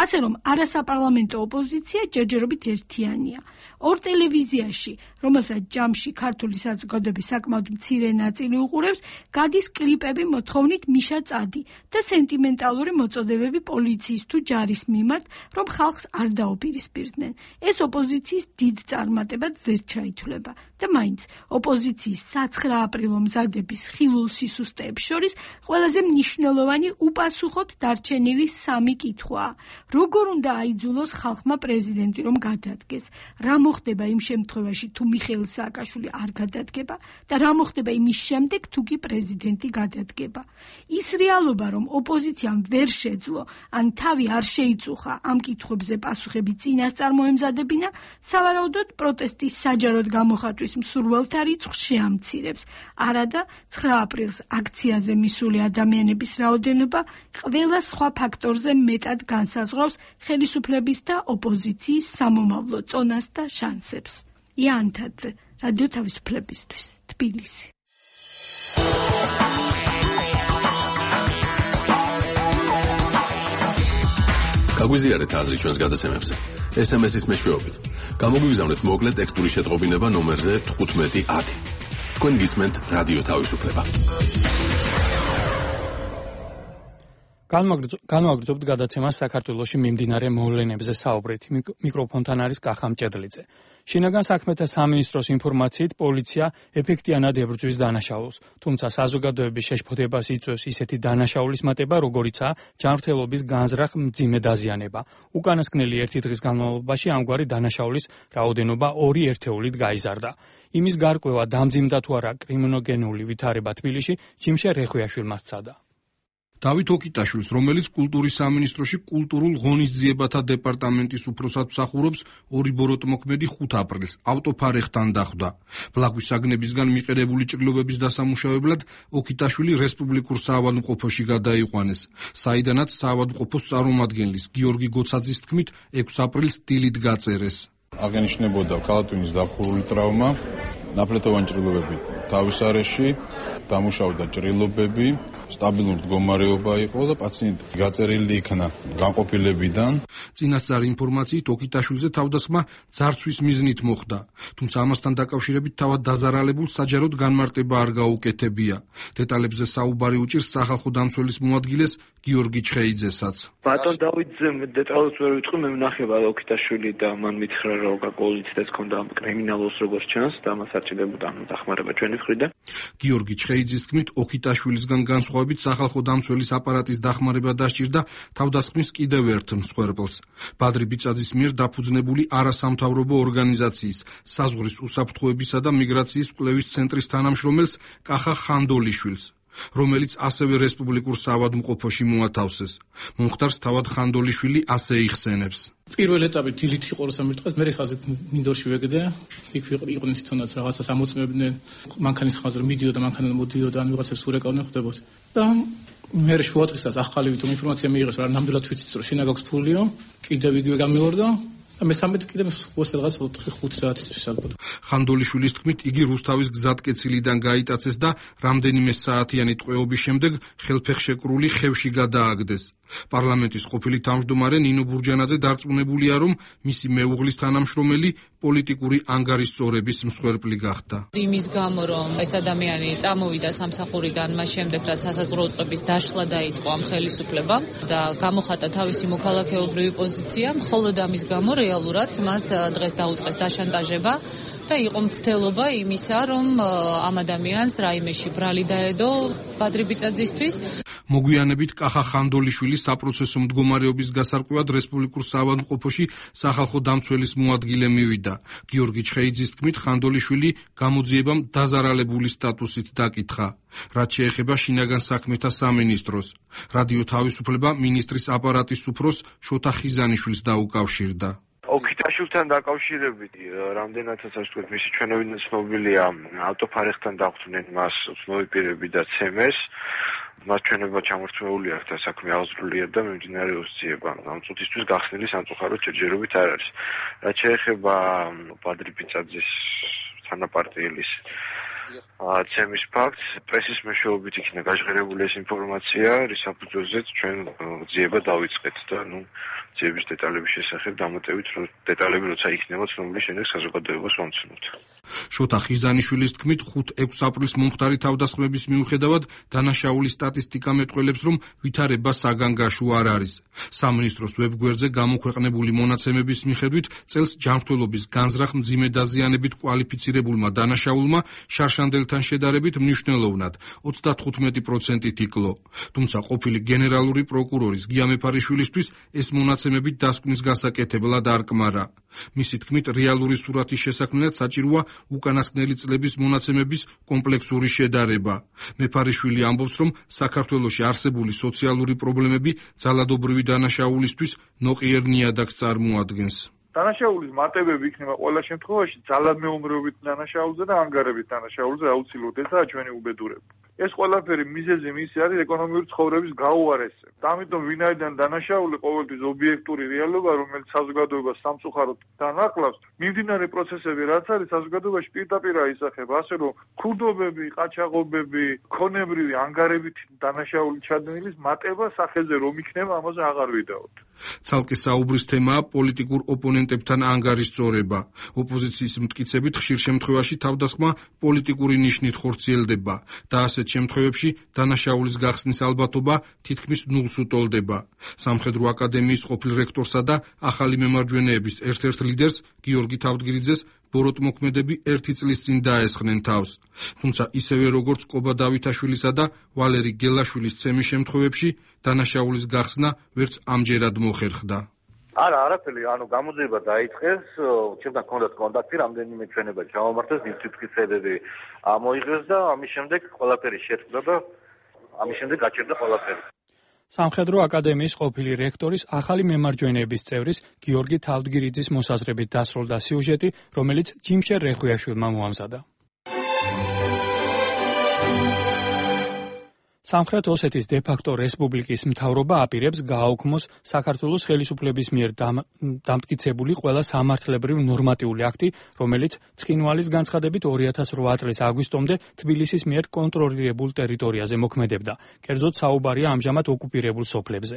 Speaker 9: ასე რომ, არასაპარლამენტო ოპოზიცია ჯერჯერობით ერთიანია. ორ ტელევიზიაში, რომელსაც ჯამში ქართული საზოგადოების საკმაოდ მცირე ნაწილი უყურებს, გადის კლიპები მოთხოვნით მიშა წადი და სენტიმენტალური მოწოდებები პოლიციის თუ ჯარის მიმართ, რომ ხალხს არ დაუპირისპირდნენ. ეს ოპოზიციის დიდ წარმატებად ვერ ჩაითვლება. და მაინც ოპოზიციის 9 აპრილო მზადების ხილულ სისუსტეებს შორის ყველაზე მნიშვნელოვანი უპასუხოდ დარჩენილი 3 კითხვაა. როგორ უნდა აიძულოს ხალხმა პრეზიდენტი რომ გადადგეს? რა მოხდება იმ შემთხვევაში თუ მიხეილ სააკაშვილი არ გადადგება და რა მოხდება იმის შემდეგ თუ კი პრეზიდენტი გადადგება? ის რეალობა რომ ოპოზიციამ ვერ შეძლო ან თავი არ შეიწუხა ამ კითხვებზე პასუხები წინასწარ მოემზადებინა, სავარაუდოდ პროტესტის საჯაროდ გამოხატვის მსურველთა რიცხვს შეამცირებს. არადა 9 აპრილს აქციაზე მისული ადამიანების რაოდენობა ყველა სხვა ფაქტორზე მეტად განსაზღვრავს ხელისუფლების და ოპოზიციის სამომავლო წონას და შანსებს. იანთაძე, რადიო თავისუფლებისთვის, თბილისი.
Speaker 10: გაგვიზიარეთ აზრი ჩვენს გადაცემებზე. SMS-ის მეშვეობით. გამოგვიგზავნეთ მოკლე ტექსტური შეტყობინება ნომერზე 1510. თქვენ გისმენთ რადიო თავისუფლება.
Speaker 1: განვაგრძობთ გადაცემას საქართველოში მიმდინარე მოვლენებზე საუბრით. მიკროფონთან არის კახა მჭედლიძე. შინაგან საქმეთა სამინისტროს ინფორმაციით პოლიცია ეფექტიანად ებრძვის დანაშაულს, თუმცა საზოგადოების შეშფოთებას იწვევს ისეთი დანაშაულის მატება, როგორიცაა ჯანმრთელობის განზრახ მძიმე დაზიანება. უკანასკნელი 1 დღის განმავლობაში ამგვარი დანაშაულის რაოდენობა 2 ერთეულით გაიზარდა. იმის გარკვევა დამძიმდა თუ არა კრიმინოგენული ვითარება თბილისში, ჯიმშე რეხვიაშვილმა სცადა.
Speaker 11: დავით ოკიტაშვილს, რომელიც კულტურის სამინისტროში კულტურულ ღონისძიებათა დეპარტამენტის უფროსად მსახურობს, 2 ბოროტმოქმედი 5 აპრილს ავტოფარეხთან დახვდა. ბლაგვის საგნებისგან მიყენებული ჭრილობების დასამუშავებლად ოკიტაშვილი რესპუბლიკურ საავადმყოფოში გადაიყვანეს, საიდანაც საავადმყოფოს წარმომადგენლის გიორგი გოცაძის თქმით 6 აპრილს დილით გაწერეს.
Speaker 12: აღენიშნებოდა კალათუნის დახურული ტრავმა, ნაფლეთოვანი ჭრილობები თავის არეში, დამუშავდა ჭრილობები, სტაბილური მდგომარეობა იყო და პაციენტი გაწერილი იქნა განყოფილებიდან.
Speaker 11: წინასწარი ინფორმაციით ოკიტაშვილზე თავდასხმა ძარცვის მიზნით მოხდა, თუმცა ამასთან დაკავშირებით თავად დაზარალებულ საჯაროდ განმარტება არ გაუკეთებია. დეტალებზე საუბარი უჭირს სახალხო დამცველის მოადგილეს გიორგი ჩხეიძესაც.
Speaker 5: ბატონ დავითზე დეტალებს ვერ ვიტყვი, მე ვნახება ოკიტაშვილი და მან მითხრა რომ კოალიცია ჰქონდა კრიმინალოს როგორც ჩანს და მას არჩევდა დახმარება ჩვენი მხრიდან.
Speaker 11: გიორგი ჩხეიძის თქმით ოკიტაშვილისგან განსხვავებით სახალხო დამცველის აპარატის დახმარება დასჭირდა თავდასხმის კიდევ ერთ მსხვერპლს. ბადრი ბიწაძის მიერ დაფუძნებული არასამთავრობო ორგანიზაციის საზღვრის უსაფრთხოებისა და მიგრაციის კვლევის ცენტრის თანამშრომელს კახა ხანდოლიშვილს, რომელიც ასევე რესპუბლიკურ საავადმყოფოში მოათავსეს. მომხდარს თავად ხანდოლიშვილი ასე იხსენებს.
Speaker 13: პირველ ეტაპით დილით იყო 3 დღეს, მე ხაზი მინდორში ვეგდე, იქ იყვნენ თვითონაც რაღაცას ამოწმებდნენ, მანქანის ხაზზე მიდიოდა, მანქანა მოდიოდა, ან ვიღაცებს ურეკავდნენ ხდებოდა. და მე შუა დღესაც ახალი თვითონ ინფორმაცია მიიღეს, რომ ნამდვილად ვიცით, რომ შინა გაქვს ფულიო, კიდევ იგივე გამივარდა. მესამედ კიდე რაღაც 4-5 საათისთვის ალბათ.
Speaker 11: ხანდოლიშვილის თქმით, იგი რუსთავის გზატკეცილიდან გაიტაცეს და რამდენიმე საათიანი ტყვეობის შემდეგ ხელფეხშეკრული ხევში გადააგდეს. პარლამენტის ყოფილი თავმჯდომარე ნინო ბურჯანაძე დარწმუნებულია, რომ მისი მეუღლის თანამშრომელი პოლიტიკური ანგარიშწორების მსხვერპლი გახდა.
Speaker 14: იმის გამო, რომ ეს ადამიანი წამოვიდა სამსახურიდან, მას შემდეგ რა სასაზღვრო უწყების დაშლა დაიწყო ამ ხელისუფლებამ და გამოხატა თავისი მოქალაქეობრივი პოზიცია, მხოლოდ ამის გამო რეალურად მას დღეს დაუწყეს დაშანტაჟება და იყო მცდელობა იმისა, რომ ამ ადამიანს რაიმეში ბრალი დაედო ბადრი ბიწაძისთვის.
Speaker 11: მოგვიანებით კახა ხანდოლიშვილი საპროცესო მდგომარეობის გასარკვევად რესპუბლიკურ საავადმყოფოში სახალხო დამცველის მოადგილე მივიდა. გიორგი ჩხეიძის თქმით, ხანდოლიშვილი გამოძიებამ დაზარალებული სტატუსით დაკითხა. რაც შეეხება შინაგან საქმეთა სამინისტროს. რადიო თავისუფლება მინისტრის აპარატის უფროს შოთა ხიზანიშვილს დაუკავშირდა.
Speaker 5: ოკიტაშვილთან დაკავშირებით რამდენადაც ასე ვთქვათ, მისი ჩვენობიდან ცნობილია, ავტოფარეხთან დახვდნენ მას უცნობი პირები და ცემეს. მას ჩვენება ჩამორთმეული აქვს და საქმე აღძრულია და მიმდინარეობს ძიება. ამ წუთისთვის გახსნილი სამწუხაროდ ჯერჯერობით არ არის. რაც შეეხება ბადრი ბიწაძის თანაპარტიელის ცემის ფაქტს პრესის მეშვეობით იქნა გაჟღერებული ეს ინფორმაცია, რის საფუძველზეც ჩვენ ძიება დავიწყეთ და ძიების დეტალების შესახებ დამატებით დეტალები როცა იქნება ცნობილი შემდეგ საზოგადოებას ვამცნობთ.
Speaker 11: შოთა ხიზანიშვილის თქმით 5-6 აპრილის მომხდარი თავდასხმების მიუხედავად დანაშაულის სტატისტიკა მეტყველებს, რომ ვითარება საგანგაშო არ არის. სამინისტროს ვებგვერდზე გამოქვეყნებული მონაცემების მიხედვით წელს ჯანმრთელობის განზრახ მძიმე დაზიანებით კვალიფიცირებულმა დანაშაულმა შარშანდელთან შედარებით მნიშვნელოვნად 35% იკლო. თუმცა ყოფილი გენერალური პროკურორის გია მეფარიშვილისთვის ეს მონაცემები დასკვნის გასაკეთებლად არ კმარა. მისი თქმით, რეალური სურათის შესაქმნელად საჭიროა უკანასკნელი წლების მონაცემების კომპლექსური შედარება. მეფარიშვილი ამბობს, რომ საქართველოში არსებული სოციალური პრობლემები ძალადობრივი დანაშაულისთვის ნოყიერ ნიადაგს წარმოადგენს.
Speaker 15: დანაშაულის მატებები იქნება ყველა შემთხვევაში ძალადმეომრეობით დანაშაულზე და ანგარებით დანაშაულზე აუცილებლად. ესაა ჩვენი უბედურება. ეს ყველაფერი მიზეზი მისი არის ეკონომიური ცხოვრების გაუარესება. ამიტომ ვინაიდან დანაშაული ყოველთვის ობიექტური რეალობა, რომელიც საზოგადოებას სამწუხაროდ დანაკლავს, მიმდინარე პროცესები რაც არის საზოგადოებაში პირდაპირ აისახება, ასე რომ ქურდობები, ყაჩაღობები, ქონებრივი ანგარებით დანაშაული ჩადენილის მატება სახეზე რომ იქნება, ამაზე აღარ ვიდაოთ.
Speaker 11: ცალკე საუბრის თემაა პოლიტიკურ ოპონენტებთან ანგარიშწორება. ოპოზიციის მტკიცებით ხშირ შემთხვევაში თავდასხმა პოლიტიკური ნიშნით ხორციელდება და ასეთ შემთხვევებში დანაშაულის გახსნის ალბათობა თითქმის ნულს უტოლდება. სამხედრო აკადემიის ყოფილ რექტორსა და ახალი მემარჯვენეების ერთ-ერთ ლიდერს გიორგი თავდგირიძეს ბოროტმოქმედები 1 წლის წინ დაესხნენ თავს. თუმცა ისევე როგორც კობა დავითაშვილისა და ვალერი გელაშვილის ცემის შემთხვევებში დანაშაულის გახსნა ვერც ამჯერად მოხერხდა.
Speaker 16: არაფერი, გამოძიება დაიწყეს, ჩემთან ჰქონდათ კონტაქტი, რამდენიმე ჩვენება ჩამომართეს, მტკიცებები ამოიღეს და ამის შემდეგ ყველაფერი შეწყდა და ამის შემდეგ გაჩერდა ყველაფერი.
Speaker 1: სამხედრო აკადემიის ყოფილი რექტორის ახალი მემარჯვენეების წევრის გიორგი თავდგირიძის მოსაზრებით დასრულდა სიუჟეტი, რომელიც ჯიმშერ რეხვიაშვილმა მოამზადა. სამხრეთ ოსეთის დე-ფაქტო რესპუბლიკის მთავრობა აპირებს გააუქმოს საქართველოს ხელისუფლების მიერ დამტკიცებული ყველა სამართლებრივ ნორმატიული აქტი, რომელიც ცხინვალის განცხადებით 2008 წლის აგვისტომდე თბილისის მიერ კონტროლირებულ ტერიტორიაზე მოქმედებდა. კერძოდ საუბარია ამჟამად ოკუპირებულ სოფლებზე.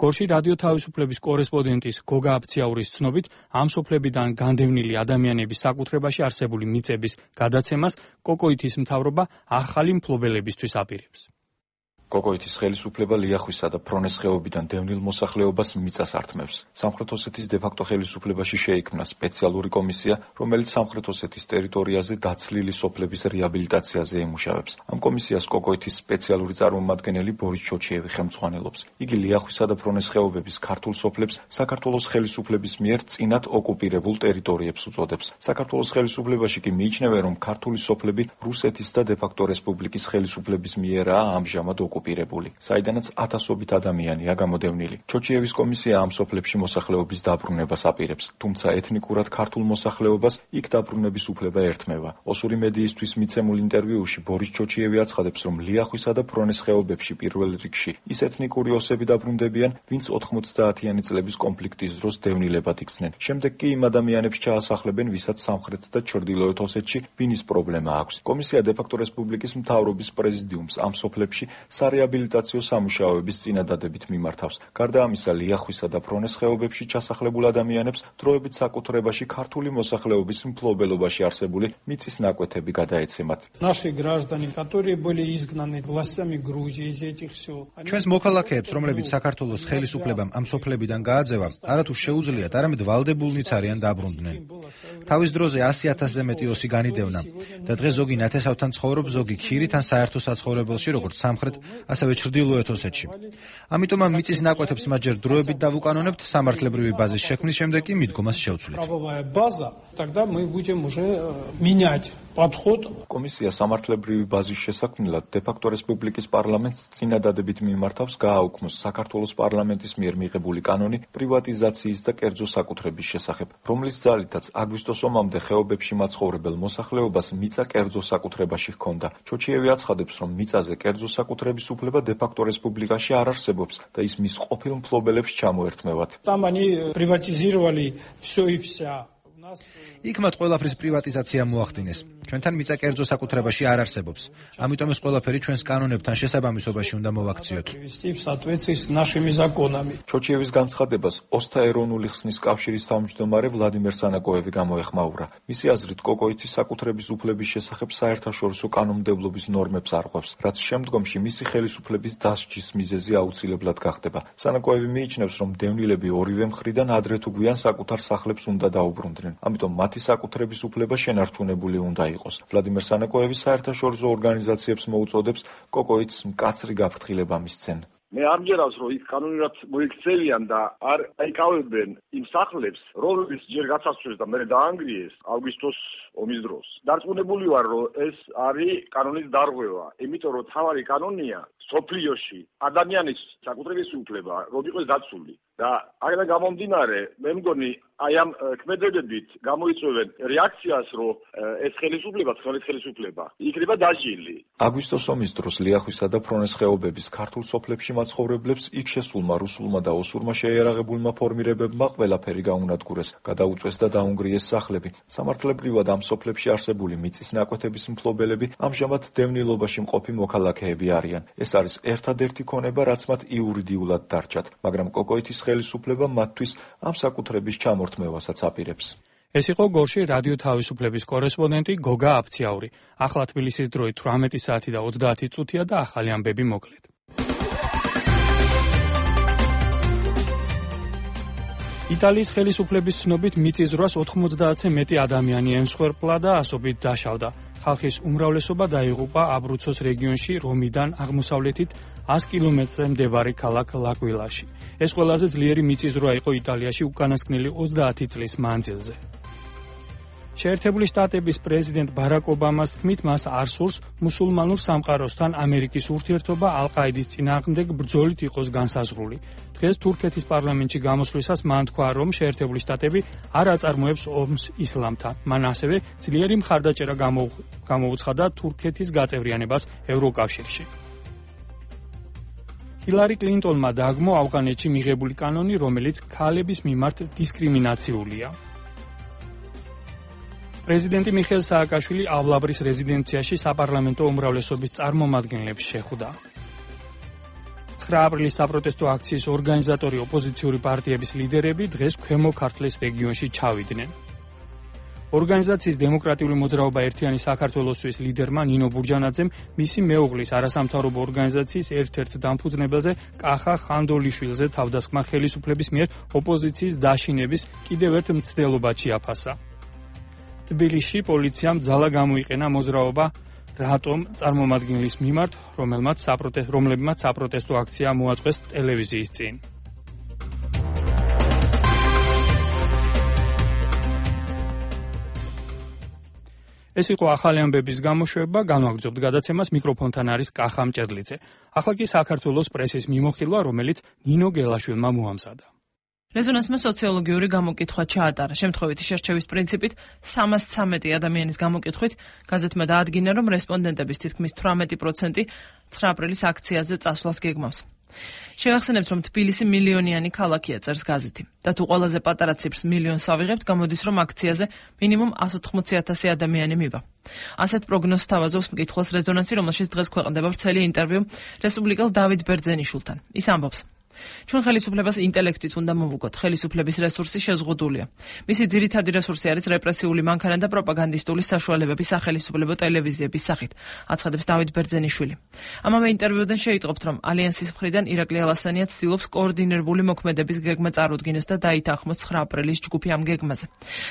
Speaker 1: გორში რადიო თავისუფლების კორესპონდენტის გოგა აფციაურის ცნობით, ამ სოფლებიდან განდევნილი ადამიანების საკუთრებაში არსებული მიწების გადაცემას კოკოითის მთავრობა ახალი მფლობელებისთვის აპირებს.
Speaker 17: კოკოითის ხელისუფლება ლიახვისა და ფრონეს ხეობიდან დევნილ მოსახლეობას მიწას ართმევს. სამხრეთ ოსეთის დე-ფაქტო ხელისუფლებაში შეიქმნა სპეციალური კომისია, რომელიც სამხრეთ ოსეთის ტერიტორიაზე დაცლილი სოფლების რეაბილიტაციაზე ემუშავებს. ამ კომისიას კოკოითის სპეციალური წარმომადგენელი ბორის ჩოჩიევი ხელმძღვანელობს. იგი ლიახვისა და ფრონეს ხეობების ქართულ სოფლებს საქართველოს ხელისუფლების მიერ წინათ ოკუპირებულ ტერიტორიებს უწოდებს. საქართველოს ხელისუფლებაში კი მიიჩნევენ, რომ ქართული სოფლები რუსეთის და დე-ფაქტო რესპუბლიკის ხელისუფლების მიერაა ამჟამად ოკუპირებული, საიდანაც ათასობით ადამიანია გამოდევნილი. ჩოჩიევის კომისია ამ სოფლებში მოსახლეობის დაბრუნებას აპირებს, თუმცა ეთნიკურად ქართულ მოსახლეობას იქ დაბრუნების უფლება ერთმევა. ოსური მედიისთვის მიცემულ ინტერვიუში ბორის ჩოჩიევი აცხადებს, რომ ლიახვისა და ფრონეს ხეობებში პირველ რიგში ის ეთნიკური ოსები დაბრუნდებიან, ვინც 90-იანი წლების კონფლიქტის დროს დევნილებად იქცნენ. შემდეგ კი იმ ადამიანებს ჩაასახლებენ, ვისაც სამხრეთ და ჩრდილოეთ ოსეთში ვინის პრობლემა აქვს. კომისია დე-ფაქტო რესპუბლიკის მთავრობის პრეზიდიუმს ამ სოფლებში სარეაბილიტაციო სამუშაოების წინადადებით მიმართავს. გარდა ამისა, ლიახვისა და ფრონეს ხეობებში ჩასახლებულ ადამიანებს დროებით საკუთრებაში ქართული მოსახლეობის მფლობელობაში არსებული მიწის ნაკვეთები გადაეცემათ.
Speaker 18: ჩვენს მოქალაქეებს, რომლებიც საქართველოს ხელისუფლებამ ამ სოფლებიდან გააძევა, არათუ შეუძლიათ, არამედ ვალდებულნიც არიან დაბრუნდნენ. თავის დროზე 100,000-ზე მეტი ოსი განიდევნა და დღეს ზოგი ნათესავთან ცხოვრობს, ზოგი ქირით ან საერთო საცხოვრებელში, როგორც სამხრეთ ასევე ჩრდილოეთ ოსეთში. ამიტომ ამ მიწის ნაკვეთებს მასჯერ დროებით დავუკანონებთ, სამართლებრივი ბაზის შექმნის შემდეგ კი მიდგომას შევცვლით.
Speaker 17: კომისია სამართლებრივი ბაზის შესაქმნელად დე-ფაქტო რესპუბლიკის პარლამენტს წინადადებით მიმართავს გააუქმოს საქართველოს პარლამენტის მიერ მიღებული კანონი პრივატიზაციის და კერძო საკუთრების შესახებ, რომლის ძალითაც აგვისტოს ომამდე ხეობებში მაცხოვრებელ მოსახლეობას მიწა კერძო საკუთრებაში ჰქონდა. ჩოჩიევი აცხადებს, რომ მიწაზე კერძო საკუთრების უფლება დე-ფაქტო რესპუბლიკაში არ არსებობს და ის მის ყოფილ მფლობელებს ჩამოერთმევათ.
Speaker 18: იქ მათ ყველაფრის პრივატიზაცია მოახდინეს. ჩვენთან მიწა კერძო საკუთრებაში არ არსებობს. ამიტომ ეს ყველაფერი ჩვენს კანონებთან შესაბამისობაში უნდა მოვაქციოთ.
Speaker 17: ჩოჩიევის განცხადებას ოსთა ეროვნული ხსნის კავშირის თავმჯდომარე ვლადიმერ სანაკოევი გამოეხმაურა. მისი აზრით, კოკოითის საკუთრების უფლების შესახებ საერთაშორისო კანონმდებლობის ნორმებს არღვევს, რაც შემდგომში მისი ხელისუფლების დასჯის მიზეზი აუცილებლად გახდება. სანაკოევი მიიჩნევს, რომ დევნილები ორივე მხრიდან ადრე თუ გვიან საკუთარ სახლებს უნდა დაუბრუნდნენ. ამიტომ მათი საკუთრების უფლება შენარჩუნებული უნდა იყოს. ვლადიმერ სანაკოევი საერთაშორისო ორგანიზაციებს მოუწოდებს კოკოითს მკაცრი გაფრთხილება მისცენ.
Speaker 19: მე ამჯერავს, რომ ის კანონურად მოიქცევიან და არ აიკავებენ იმ სახლებს, რომლებიც ჯერ გაცაცვეს და მერე დაანგრიეს აგვისტოს ომის დროს. დარწმუნებული ვარ, რომ ეს არის კანონის დარღვევა, იმიტომ რომ თავარი კანონია სოფლიოში ადამიანის საკუთრების უფლება, რომ იყოს დაცული. და აქედან გამომდინარე, მე მგონი აი ამ ქმედებებით გამოიწვევენ რეაქციას, რომ ეს ხელისუფლება, ცხენის ხელისუფლება იქნება დაჟილი.
Speaker 17: აგვისტოს ომის დროს ლიახვისა და ფრონეს ხეობების ქართულ სოფლებში მაცხოვრებლებს იქ შესულმა რუსულმა და ოსურმა შეიარაღებულმა ფორმირებებმა ყველაფერი გაუნადგურეს, გადაუწვეს და დაუნგრიეს სახლები. სამართლებრივად ამ სოფლებში არსებული მიწის ნაკვეთების მფლობელები ამჟამად დევნილობაში მყოფი მოქალაქეები არიან. ეს არის ერთადერთი ქონება, რაც მათ იურიდიულად დარჩათ, მაგრამ კოკოითის ხელისუფლება მათთვის ამ საკუთრების ჩამორთმევასაც აპირებს.
Speaker 1: ეს იყო გორში რადიო თავისუფლების კორესპონდენტი გოგა აფციაური. ახლა თბილისის დროით 18 საათი და 30 წუთია და ახალი ამბები მოკლედ. იტალიის ხელისუფლების ცნობით მიწისძვრას 90-ზე მეტი ადამიანი ემსხვერპლა და ასობით დაშავდა. ხალხის უმრავლესობა დაიღუპა აბრუცოს რეგიონში რომიდან აღმოსავლეთით 100 კილომეტრზე მდებარე ქალაქ ლაკვილაში. ეს ყველაზე ძლიერი მიწისძვრა იყო იტალიაში უკანასკნელი 30 წლის მანძილზე. შეერთებული შტატების პრეზიდენტ ბარაკ ობამას თქმით, მას არ სურს მუსულმანურ სამყაროსთან ამერიკის ურთიერთობა ალ-ყაიდის წინააღმდეგ ბრძოლით იყოს განსაზღვრული. დღეს თურქეთის პარლამენტში გამოსვლისას მან თქვა, რომ შეერთებული შტატები არ აწარმოებს ომს ისლამთან. მან ასევე ძლიერი მხარდაჭერა გამოუცხადა თურქეთის გაწევრიანებას ევროკავშირში. ჰილარი კლინტონმა დააგმო ავღანეთში მიღებული კანონი, რომელიც ქალების მიმართ დისკრიმინაციულია. პრეზიდენტი მიხეილ სააკაშვილი ავლაბრის რეზიდენციაში საპარლამენტო უმრავლესობის წარმომადგენლებს შეხვდა. 9 აპრილის საპროტესტო აქციის ორგანიზატორი ოპოზიციური პარტიების ლიდერები დღეს ქვემო ქართლის რეგიონში ჩავიდნენ. ორგანიზაციის დემოკრატიული მოძრაობა ერთიანი საქართველოსთვის ლიდერმა ნინო ბურჯანაძემ მისი მეუღლის არასამთავრობო ორგანიზაციის ერთ-ერთ დამფუძნებელზე კახა ხანდოლიშვილზე თავდასხმა ხელისუფლების მიერ ოპოზიციის დაშინების კიდევ ერთ მცდელობა ჩიაფასა. თბილისში პოლიციამ ძალა გამოიყენა მოძრაობა რატომ წარმომადგენლის მიმართ, რომლებმაც საპროტესტო აქცია მოაწყვეს ტელევიზიის წინ. ეს იყო ახალი ამბების გამოშვება, განვაგრძობთ გადაცემას, მიკროფონთან არის კახა მჭედლიძე. ახლა კი საქართველოს პრესის მიმოხილვა, რომელიც ნინო გელაშვილმა მოამზადა.
Speaker 20: რეზონანსმა სოციოლოგიური გამოკითხვა ჩაატარა. შემთხვევითი შერჩევის პრინციპით 313 ადამიანის გამოკითხვით გაზეთმა დაადგინა, რომ რესპონდენტების თითქმის 18% 9 აპრილის აქციაზე წასვლას გეგმავს. შევახსენებთ, რომ თბილისი მილიონიანი ქალაქია, წერს გაზეთი. და თუ ყველაზე პატარა ციფრს მილიონს ავიღებთ, გამოდის, რომ აქციაზე მინიმუმ 180,000 ადამიანი მივა. ასეთ პროგნოზს თავაზობს მკითხველს რეზონანსი, რომელშიც დღეს ქვეყნდება ვრცელი ინტერვიუ რესპუბლიკელ დავით ბერძენიშვილთან. ის ამბობს: ჩვენ ხელისუფლებას ინტელექტით უნდა მოვუგოთ. ხელისუფლების რესურსი შეზღუდულია. მისი ძირითადი რესურსი არის რეპრესიული მანქანა და პროპაგანდისტული საშუალებები სახელისუფლებო ტელევიზიების სახით, აცხადებს დავით ბერძენიშვილი. ამავე ინტერვიუდან შეიტყობთ, რომ ალიანსის მხრიდან ირაკლი ალასანია ცდილობს კოორდინირებული მოქმედების გეგმა წარუდგინოს და დაითანხმოს 9 აპრილის ჯგუფი ამ გეგმაზე.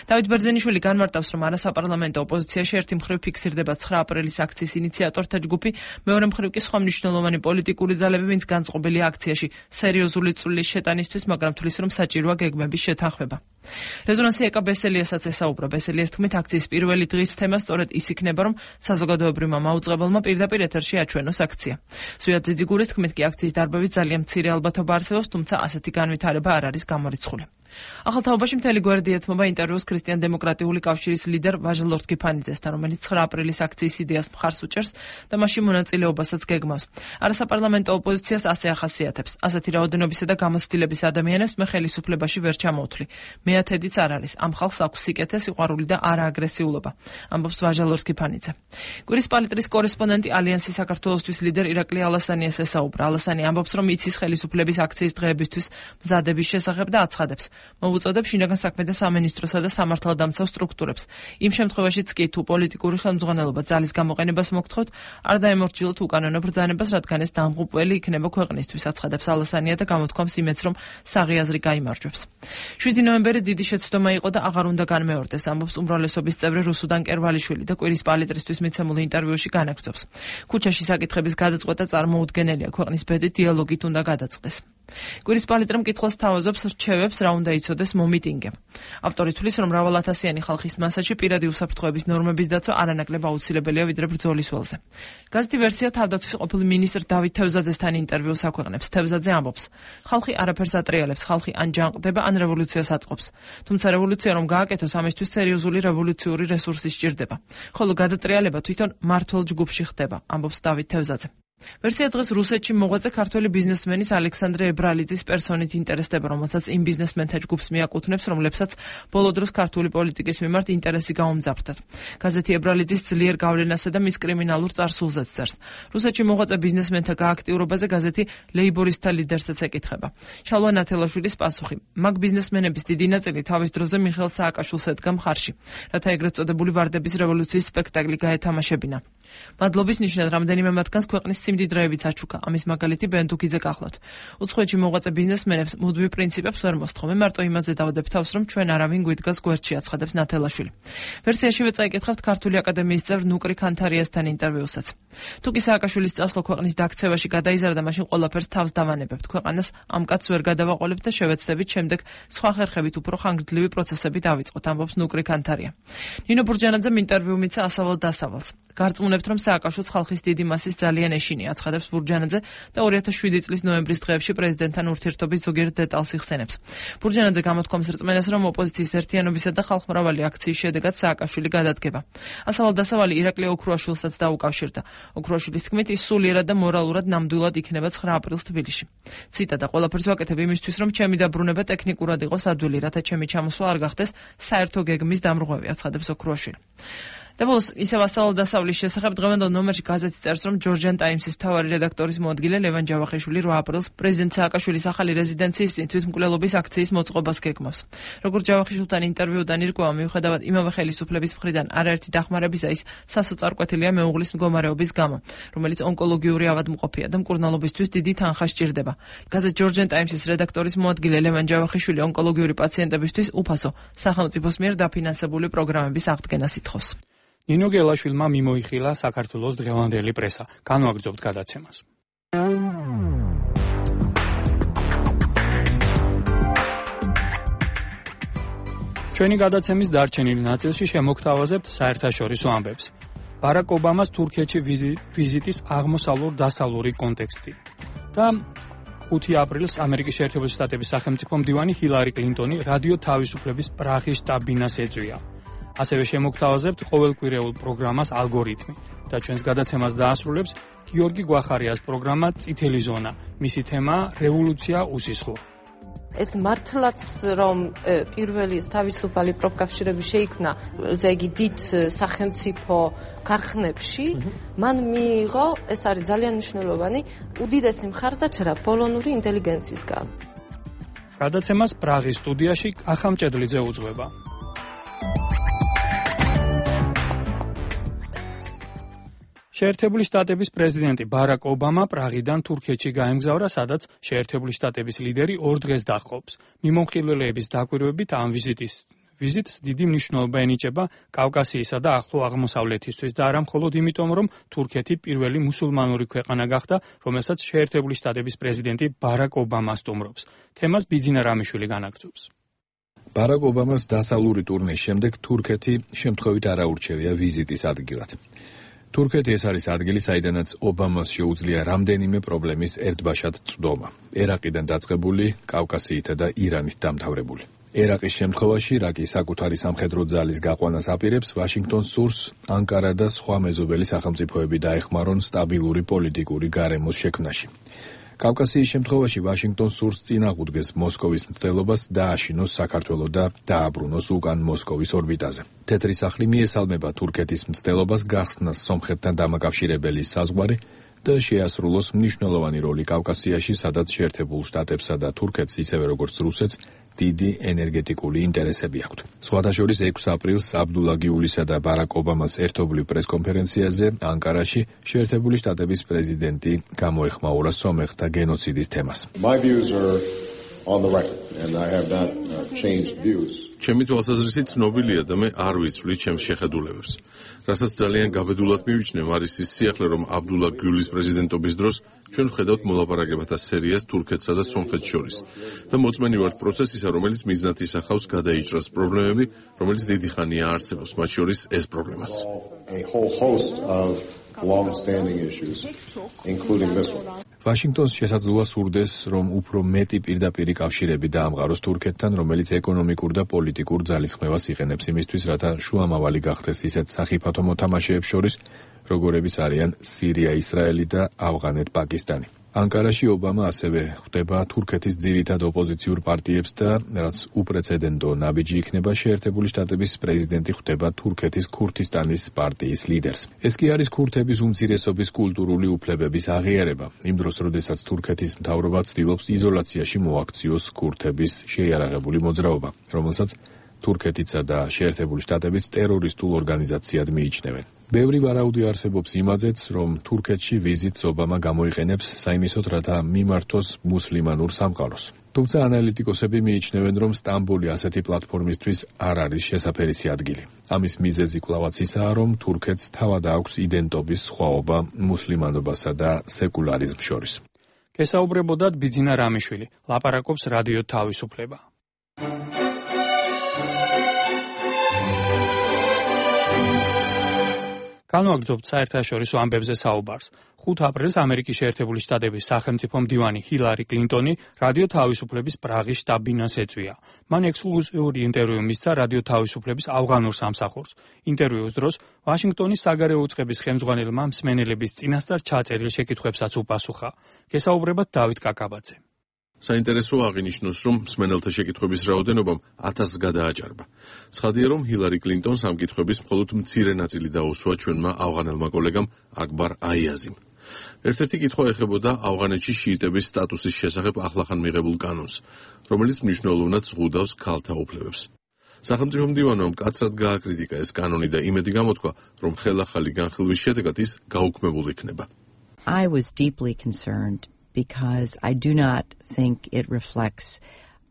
Speaker 20: დავით ბერძენიშვილი განმარტავს, რომ არასაპარლამენტო ოპოზიციაში ერთი მხრივ ფიქსირდება 9 აპრილის აქციის ინიციატორთა ჯგუფი, მეორე მხრივ კი სხვა მნიშვნელოვანი პოლიტიკური ძალები, ვინც განწყობილია აქციაში სერიოზული წვლის შეტანისთვის, მაგრამ თვლის, რომ საჭიროა გეგმების შეთანხმება. რეზონანსი ეკა ბესელიასაც ესაუბრა. ბესელიას თქმით, აქციის პირველი დღის თემა სწორედ ის იქნება, რომ საზოგადოებრივმა მაუწყებელმა პირდაპირ ეთერში აჩვენოს აქცია. ზვიად ძიძიგურის თქმით, კი აქციის დარბევით ძალიან მცირე ალბათობა არსებობს, თუმცა ასეთი განვითარება არ არის გამორიცხული. ახალ თაობაში მთელი გვერდი ეთმობა ინტერვიუს ქრისტიან-დემოკრატიული კავშირის ლიდერ ვაჟა ლორთქიფანიძესთან, რომელიც 9 აპრილის აქციის იდეას მხარს უჭერს და მასში მონაწილეობასაც გეგმავს. არასაპარლამენტო ოპოზიციას ასე ახასიათებს: ასეთი რაოდენობისა და გამოცდილების ადამიანებს მე ხელისუფლებაში ვერ ჩამოვთვლი. მეათედიც არ არის. ამ ხალხს აქვს სიკეთე, სიყვარული და არააგრესიულობა, ამბობს ვაჟა ლორთქიფანიძე. კვირის პალიტრის კორესპონდენტი ალიანსის საქართველოსთვის ლიდერ ირაკლი ალასანიას ესაუბრა. ალასანი ამბობს, რომ იცის ხელისუფლების აქციის დღეებისთვის მზადების შესახებ და აცხადებს: მოვუწოდებ შინაგან საქმეთა სამინისტროსა და სამართალდამცავ სტრუქტურებს. იმ შემთხვევაშიც კი თუ პოლიტიკური ხელმძღვანელობა ძალის გამოყენებას მოგთხოვთ, არ დაემორჩილოთ უკანონო ბრძანებას, რადგან ეს დამღუპველი იქნება ქვეყნისთვის, აცხადებს ალასანია და გამოთქვამს იმედს, რომ საღი აზრი გაიმარჯვებს. 7 ნოემბერი დიდი შეცდომა იყო და აღარ უნდა განმეორდეს, ამბობს უმრავლესობის წევრი რუსუდან კერვალიშვილი და კვირის პალიტრისთვის მიცემულ ინტერვიუში განაგრძობს. ქუჩაში საკითხების გადაწყვეტა წარმოუდგენელია, ქვეყნის ბედი დიალოგით უნდა გადაწყდეს. კვირის პალიტრა მკითხველს თავაზობს რჩევებს, რა უნდა იცოდეს მომიტინგემ. ავტორი თვლის, რომ მრავალათასიანი ხალხის მასაში პირადი უსაფრთხოების ნორმების დაცვა არანაკლებ აუცილებელია ვიდრე ბრძოლის ველზე. გაზეთი ვერსია თავდაცვის ყოფილ მინისტრ დავით თევზაძესთან ინტერვიუს აქვეყნებს. თევზაძე ამბობს: ხალხი არაფერს ატრიალებს, ხალხი ან ჯანყდება, ან რევოლუციას აწყობს. თუმცა რევოლუცია რომ გააკეთოს, ამისთვის სერიოზული რევოლუციური რესურსი სჭირდება. ხოლო გადატრიალება თვითონ მართლ ჯგუფში ხდება, ამბობს დავით თევზაძე. ვერსია დღეს რუსეთში მოღვაწე ქართველი ბიზნესმენის ალექსანდრე ებრალიძის პერსონით ინტერესდება, რომელსაც იმ ბიზნესმენთა ჯგუფს მიაკუთვნებს, რომლებსაც ბოლო დროს ქართული პოლიტიკის მიმართ ინტერესი გაუმძაფრდათ. გაზეთი ებრალიძის ძლიერ გავლენასა და მის კრიმინალურ წარსულზეც წერს. რუსეთში მოღვაწე ბიზნესმენთა გააქტიურობაზე გაზეთი ლეიბორისტთა ლიდერსაც ეკითხება. შალვა ნათელაშვილის პასუხი: მაგ ბიზნესმენების დიდი ნაწილი თავის დროზე მიხეილ სააკაშვილს ედგა მხარში, რათა ეგრეთ წოდებული ვარდების რევოლუციის სპექტაკლი გაეთამაშებინა. მადლობის ნიშნად რამდენიმე მათგანს ქვეყნის სიმდიდრეებიც აჩუქა. ამის მაგალითი ბენდუქიძე გახლავთ. უცხოეთში მოღვაწე ბიზნესმენებს მუდმივ პრინციპებს ვერ მოსთხოვე, მარტო იმაზე დავდებ თავს, რომ ჩვენ არავინ გვიდგას გვერდში, აცხადებს ნათელაშვილი. ვერსიაშივე წაიკითხავთ ქართული აკადემიის წევრ ნუკრი ქანთარიასთან ინტერვიუსაც. თუ კი სააკაშვილის წასვლა ქვეყნის დაქცევაში გადაიზარდა, მაშინ ყველაფერს თავს დავანებებთ. ქვეყანას ამ კაცს ვერ გადავაყოლებთ და შევეცდებით შემდეგ სხვა ხერხებით უფრო ხანგრძლივი პროცესები დავიწყოთ, ამბობს ნუკრი ქანთარია. ნინო ბურჯანაძემ ინტერვიუ მიცა ასავალ-დასავალს. გარწმუნებთ, რომ სააკაშვილს ხალხის დიდი მასის ძალიან ეშინია, აცხადებს ბურჯანაძე და 2007 წლის ნოემბრის დღეებში პრეზიდენტთან ურთიერთობის ზოგიერთ დეტალს იხსენებს. ბურჯანაძე გამოთქვამს რწმენას, რომ ოპოზიციის ერთიანობისა და ხალხმრავალი აქციის შედეგად სააკაშვილი გადადგება. ასავალ-დასავალი ირაკლი ოქრუაშვილსაც დაუკავშირდა. ოქრუაშვილის თქმით, ის სულიერად და მორალურად ნამდვილად იქნება 9 აპრილს თბილისში. ციტატა: ყველაფერს ვაკეთებ იმისთვის, რომ ჩემი დაბრუნება ტექნიკურად იყოს ადვილი, რათა ჩემი ჩამოსვლა არ გახდეს საერთო გეგმის დამრღვევი, აცხადებს ოქრუაშვილი. და ბოლოს ისევ ასავალ-დასავლის შესახებ დღევანდელ ნომერში გაზეთი წერს, რომ ჯორჯიან ტაიმსის მთავარი რედაქტორის მოადგილე ლევან ჯავახიშვილი 8 აპრილს პრეზიდენტ სააკაშვილის ახალი რეზიდენციის წინ თვითმკვლელობის აქციის მოწყობას გეგმავს. როგორც ჯავახიშვილთან ინტერვიუდან ირკვევა, მიუხედავად იმავე ხელისუფლების მხრიდან არაერთი დახმარებისა, ის სასოწარკვეთილია მეუღლის მდგომარეობის გამო, რომელიც ონკოლოგიური ავადმყოფია და მკურნალობისთვის დიდი თანხა სჭირდება. გაზეთ ჯორჯიან ტაიმსის რედაქტორის მოადგილე ლევან ჯავახიშვილი ონკოლოგიური პაციენტებისთვის უფასო სახელმწიფოს მიერ დაფინანსებული პროგრამების აღდგენას ითხოვს.
Speaker 1: ნინო გელაშვილმა მიმოიხილა საქართველოს დღევანდელი პრესა. განვაგრძობთ გადაცემას. ჩვენი გადაცემის დარჩენილ ნაწილში შემოგთავაზებთ საერთაშორისო ამბებს. ბარაკ ობამას თურქეთში ვიზიტის აღმოსავლურ-დასავლური კონტექსტი და 5 აპრილს ამერიკის შეერთებული შტატების სახელმწიფო მდივანი ჰილარი კლინტონი რადიო თავისუფლების პრაღის შტაბ-ბინას ეწვია. ასევე შემოგთავაზებთ ყოველკვირეულ პროგრამას ალგორითმი და ჩვენს გადაცემას დაასრულებს გიორგი გვახარიას პროგრამა წითელი ზონა. მისი თემაა რევოლუცია უსისხლო.
Speaker 21: ეს მართლაც რომ პირველი თავისუფალი პროფკავშირები შეიქმნა ზეგი დიდ სახელმწიფო ქარხნებში, მან მიიღო, ეს არის ძალიან მნიშვნელოვანი, უდიდესი მხარდაჭერა პოლონური ინტელიგენციისგან.
Speaker 1: გადაცემას პრაღის სტუდიაში ახამ ჭედლიძე უძღვება. შეერთებული შტატების პრეზიდენტი ბარაკ ობამა პრაღიდან თურქეთში გაემგზავრა, სადაც შეერთებული შტატების ლიდერი 2 დღეს დაჰყობს. მიმოხილველეების დაკვირვებით ამ ვიზიტს დიდი მნიშვნელობა ენიჭება კავკასიისა და ახლო აღმოსავლეთისთვის და არა მხოლოდ იმიტომ, რომ თურქეთი პირველი მუსულმანური ქვეყანა გახდა, რომელსაც შეერთებული შტატების პრეზიდენტი ბარაკ ობამა სტუმრობს. თემას ბიძინა რამიშვილი განაგრძობს.
Speaker 2: ბარაკ ობამას დასავლური ტურნეს შემდეგ თურქეთი შემთხვევით არ აურჩევია ვიზიტის ადგილად. თურქეთი ეს არის ადგილი, საიდანაც ობამას შეუძლია რამდენიმე პრობლემის ერთბაშად წვდომა. ერაყიდან დაწყებული, კავკასიითა და ირანით დამთავრებული. ერაყის შემთხვევაში, რაკი საკუთარი სამხედრო ძალის გაყვანას აპირებს, ვაშინგტონს სურს ანკარა და სხვა მეზობელი სახელმწიფოები დაეხმარონ სტაბილური პოლიტიკური გარემოს შექმნაში. კავკასიის შემთხვევაში ვაშინგტონს სურს წინააღმდეგეს მოსკოვის მცდელობას დააშინოს საქართველო და დააბრუნოს უკან მოსკოვის ორბიტაზე. თეთრი სახლი მიესალმება თურქეთის მცდელობას გახსნას სომხეთთან დამაკავშირებელი საზღვარი და შეასრულოს მნიშვნელოვანი როლი კავკასიაში, სადაც შეერთებულ შტატებსა და თურქეთს, ისევე როგორც რუსეთს, დიდი ენერგეტიკული ინტერესები აქვთ. სხვათა შორის 6 აპრილს აბდულა გიულისა და ბარაკ ობამას ერთობლივ პრესკონფერენციაზე ანკარაში შეერთებული შტატების პრეზიდენტი გამოეხმაურა სომეხთა გენოციდის თემას.
Speaker 10: ჩემი თვალსაზრისით ცნობილია და მე არ ვიცვლი ჩემს შეხედულებებს. რასაც ძალიან გაბედულად მივიჩნევ, არის ის სიახლე, რომ აბდულა გიულის პრეზიდენტობის დროს ჩვენ ვხედავთ მოლაპარაკებათა სერიას თურქეთსა და სომხეთს შორის და მოწმენი ვართ პროცესისა, რომელიც მიზნად ისახავს გადაიჭრას პრობლემები, რომელიც დიდი ხანია არსებობს, მათ შორის ეს პრობლემაც.
Speaker 2: ვაშინგტონს შესაძლოა სურდეს, რომ უფრო მეტი პირდაპირი კავშირები დაამყაროს თურქეთთან, რომელიც ეკონომიკურ და პოლიტიკურ ძალისხმევას იყენებს იმისთვის, რათა შუამავალი გახდეს ისეთ სახიფათო მოთამაშეებს შორის, როგორებიც არიან სირია, ისრაელი და ავღანეთ-პაკისტანი. ანკარაში ობამა ასევე ხვდება თურქეთის ძირითად ოპოზიციურ პარტიებს და რაც უპრეცედენტო ნაბიჯი იქნება, შეერთებული შტატების პრეზიდენტი ხვდება თურქეთის ქურთისტანის პარტიის ლიდერს. ეს კი არის ქურთების უმცირესობის კულტურული უფლებების აღიარება, იმ დროს, როდესაც თურქეთის მთავრობა ცდილობს იზოლაციაში მოაქციოს ქურთების შეიარაღებული მოძრაობა, რომელსაც თურქეთიცა და შეერთებული შტატებიც ტერორისტულ ორგანიზაციად მიიჩნევენ. ბევრი ვარაუდი არსებობს იმაზეც, რომ თურქეთში ვიზიტს ობამა გამოიყენებს საიმისოდ, რათა მიმართოს მუსლიმანურ სამყაროს. თუმცა ანალიტიკოსები მიიჩნევენ, რომ სტამბოლი ასეთი პლატფორმისთვის არ არის შესაფერისი ადგილი. ამის მიზეზი კვლავაც ისაა, რომ თურქეთს თავად აქვს იდენტობის სხვაობა მუსლიმანობასა და სეკულარიზმს შორის.
Speaker 1: გესაუბრებოდათ ბიძინა რამიშვილი, ლაპარაკობს რადიო თავისუფლება. განვაგრძობთ საერთაშორისო ამბებზე საუბარს. 5 აპრილს ამერიკის შეერთებული შტატების სახელმწიფო მდივანი ჰილარი კლინტონი რადიო თავისუფლების პრაღის შტაბ-ბინას ეწვია. მან ექსკლუზიური ინტერვიუ მისცა რადიო თავისუფლების ავღანურ სამსახურს. ინტერვიუს დროს ვაშინგტონის საგარეო უწყების ხელმძღვანელმა მსმენელების წინასწარ ჩაწერილ შეკითხვებსაც უპასუხა. გესაუბრებათ დავით კაკაბაძე.
Speaker 10: საინტერესოა აღინიშნოს, რომ მსმენელთა შეკითხვების რაოდენობამ 1000-ს გადააჭარბა. ცხადია, რომ ჰილარი კლინტონს ამ კითხვების მხოლოდ მცირე ნაწილი დაუსვა ჩვენმა ავღანელმა კოლეგამ აკბარ აიაზიმ. ერთ-ერთი კითხვა ეხებოდა ავღანეთში შიიტების სტატუსის შესახებ ახლახან მიღებულ კანონს, რომელიც მნიშვნელოვნად ზღუდავს ქალთა უფლებებს. სახელმწიფო მდივანმა მკაცრად გააკრიტიკა ეს კანონი და იმედი გამოთქვა, რომ ხელახალი განხილვის შედეგად ის გაუქმებულ იქნება.
Speaker 3: I was deeply concerned because I do not think it reflects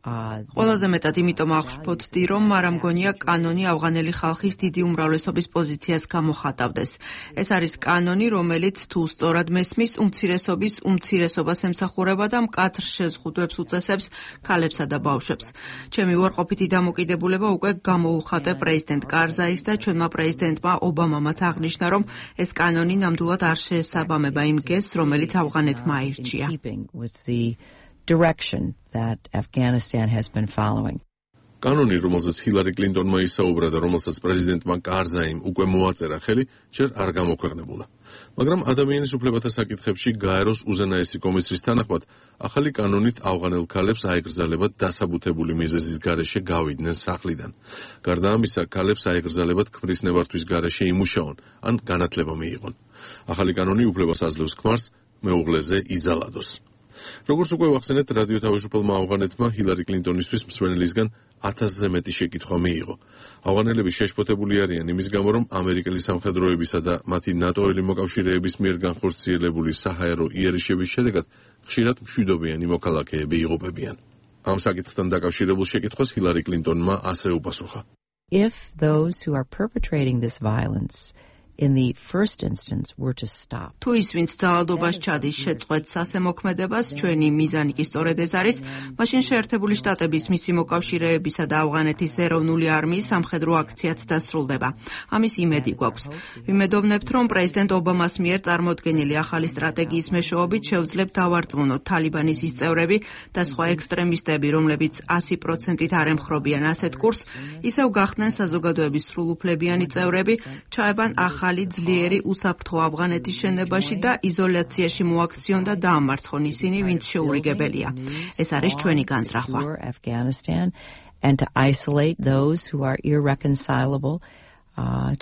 Speaker 7: ყველაზე მეტად იმიტომ აღშფოთდი, რომ არ მგონია კანონი ავღანელი ხალხის დიდი უმრავლესობის პოზიციას გამოხატავდეს. ეს არის კანონი, რომელიც თუ სწორად მესმის, უმცირესობის უმცირესობას ემსახურება და მკაცრ შეზღუდვებს უწესებს ქალებსა და ბავშვებს. ჩემი უარყოფითი დამოკიდებულება უკვე გამოუხატე პრეზიდენტ კარზაის და ჩვენმა პრეზიდენტმა ობამამაც აღნიშნა, რომ ეს კანონი ნამდვილად არ შეესაბამება იმ გეზს, რომელიც ავღანეთმა აირჩია.
Speaker 3: direction that Afghanistan has been following.
Speaker 10: კანონი, რომელზეც ჰილარი კლინტონმა ისაუბრა და რომელსაც პრეზიდენტმა კარზაიმ უკვე მოაწერა ხელი, ჯერ არ გამოქვეყნებულა. მაგრამ ადამიანის უფლებათა საკითხებში გაეროს უზენაესი კომისრის თანახმად, ახალი კანონით ავღანელ ქალებს აეგრძალებათ დასაბუთებული მიზეზის გარეშე გავიდნენ სახლიდან. გარდა ამისა, ქალებს აეგრძალებათ ქმრის ნებართვის გარეშე იმუშაონ, ან განათლება მიიღონ. ახალი კანონი უფლებას აძლევს ქმარს მეუღლეზე იზალადოს. როგორც უკვე ვახსენეთ, რადიო თავისუფალმა ავღანეთმა ჰილარი კლინტონისთვის მსმენელისგან 1000-ზე მეტი შეკითხვა მიიღო. ავღანელები შეშფოთებული არიან იმის გამო, რომ ამერიკელი სამხედროებისა და მათი ნატოელი მოკავშირეების მიერ განხორციელებული საჰაერო იერიშების შედეგად ხშირად მშვიდობიანი მოქალაქეები იღუპებიან. ამ საკითხთან დაკავშირებულ შეკითხვას ჰილარი კლინტონმა ასე უპასუხა.
Speaker 3: If those who are perpetrating this violence in the first instance were to stop.
Speaker 7: თუ ის ვინც ძალადობას ჩადის შეწყვეტს ასე მოქმედებას, ჩვენი მიზანი კი სწორედ ეს არის, მაშინ შეერთებული შტატების მისი მოკავშირეებისა და ავღანეთის ეროვნული არმიის სამხედრო აქციაც დასრულდება. ამის იმედი გვაქვს. ვიმედოვნებთ, რომ პრეზიდენტ ობამას მიერ წარმოდგენილი ახალი სტრატეგიის მეშვეობით შევძლებთ დავარწმუნოთ თალიბანის ის წევრები და სხვა ექსტრემისტები, რომლებიც 100%-ით არ ემხრობიან ასეთ კურსს, ისევ გახდნენ საზოგადოების სრულუფლებიანი წევრები, ჩაებან ახალი ძლიერი უსაფრთხო ავღანეთის შენებაში და იზოლაციაში მოაქციონ და დაამარცხონ ისინი, ვინც შეურიგებელია. ეს არის ჩვენი განზრახვა.
Speaker 3: And to isolate those who are irreconcilable,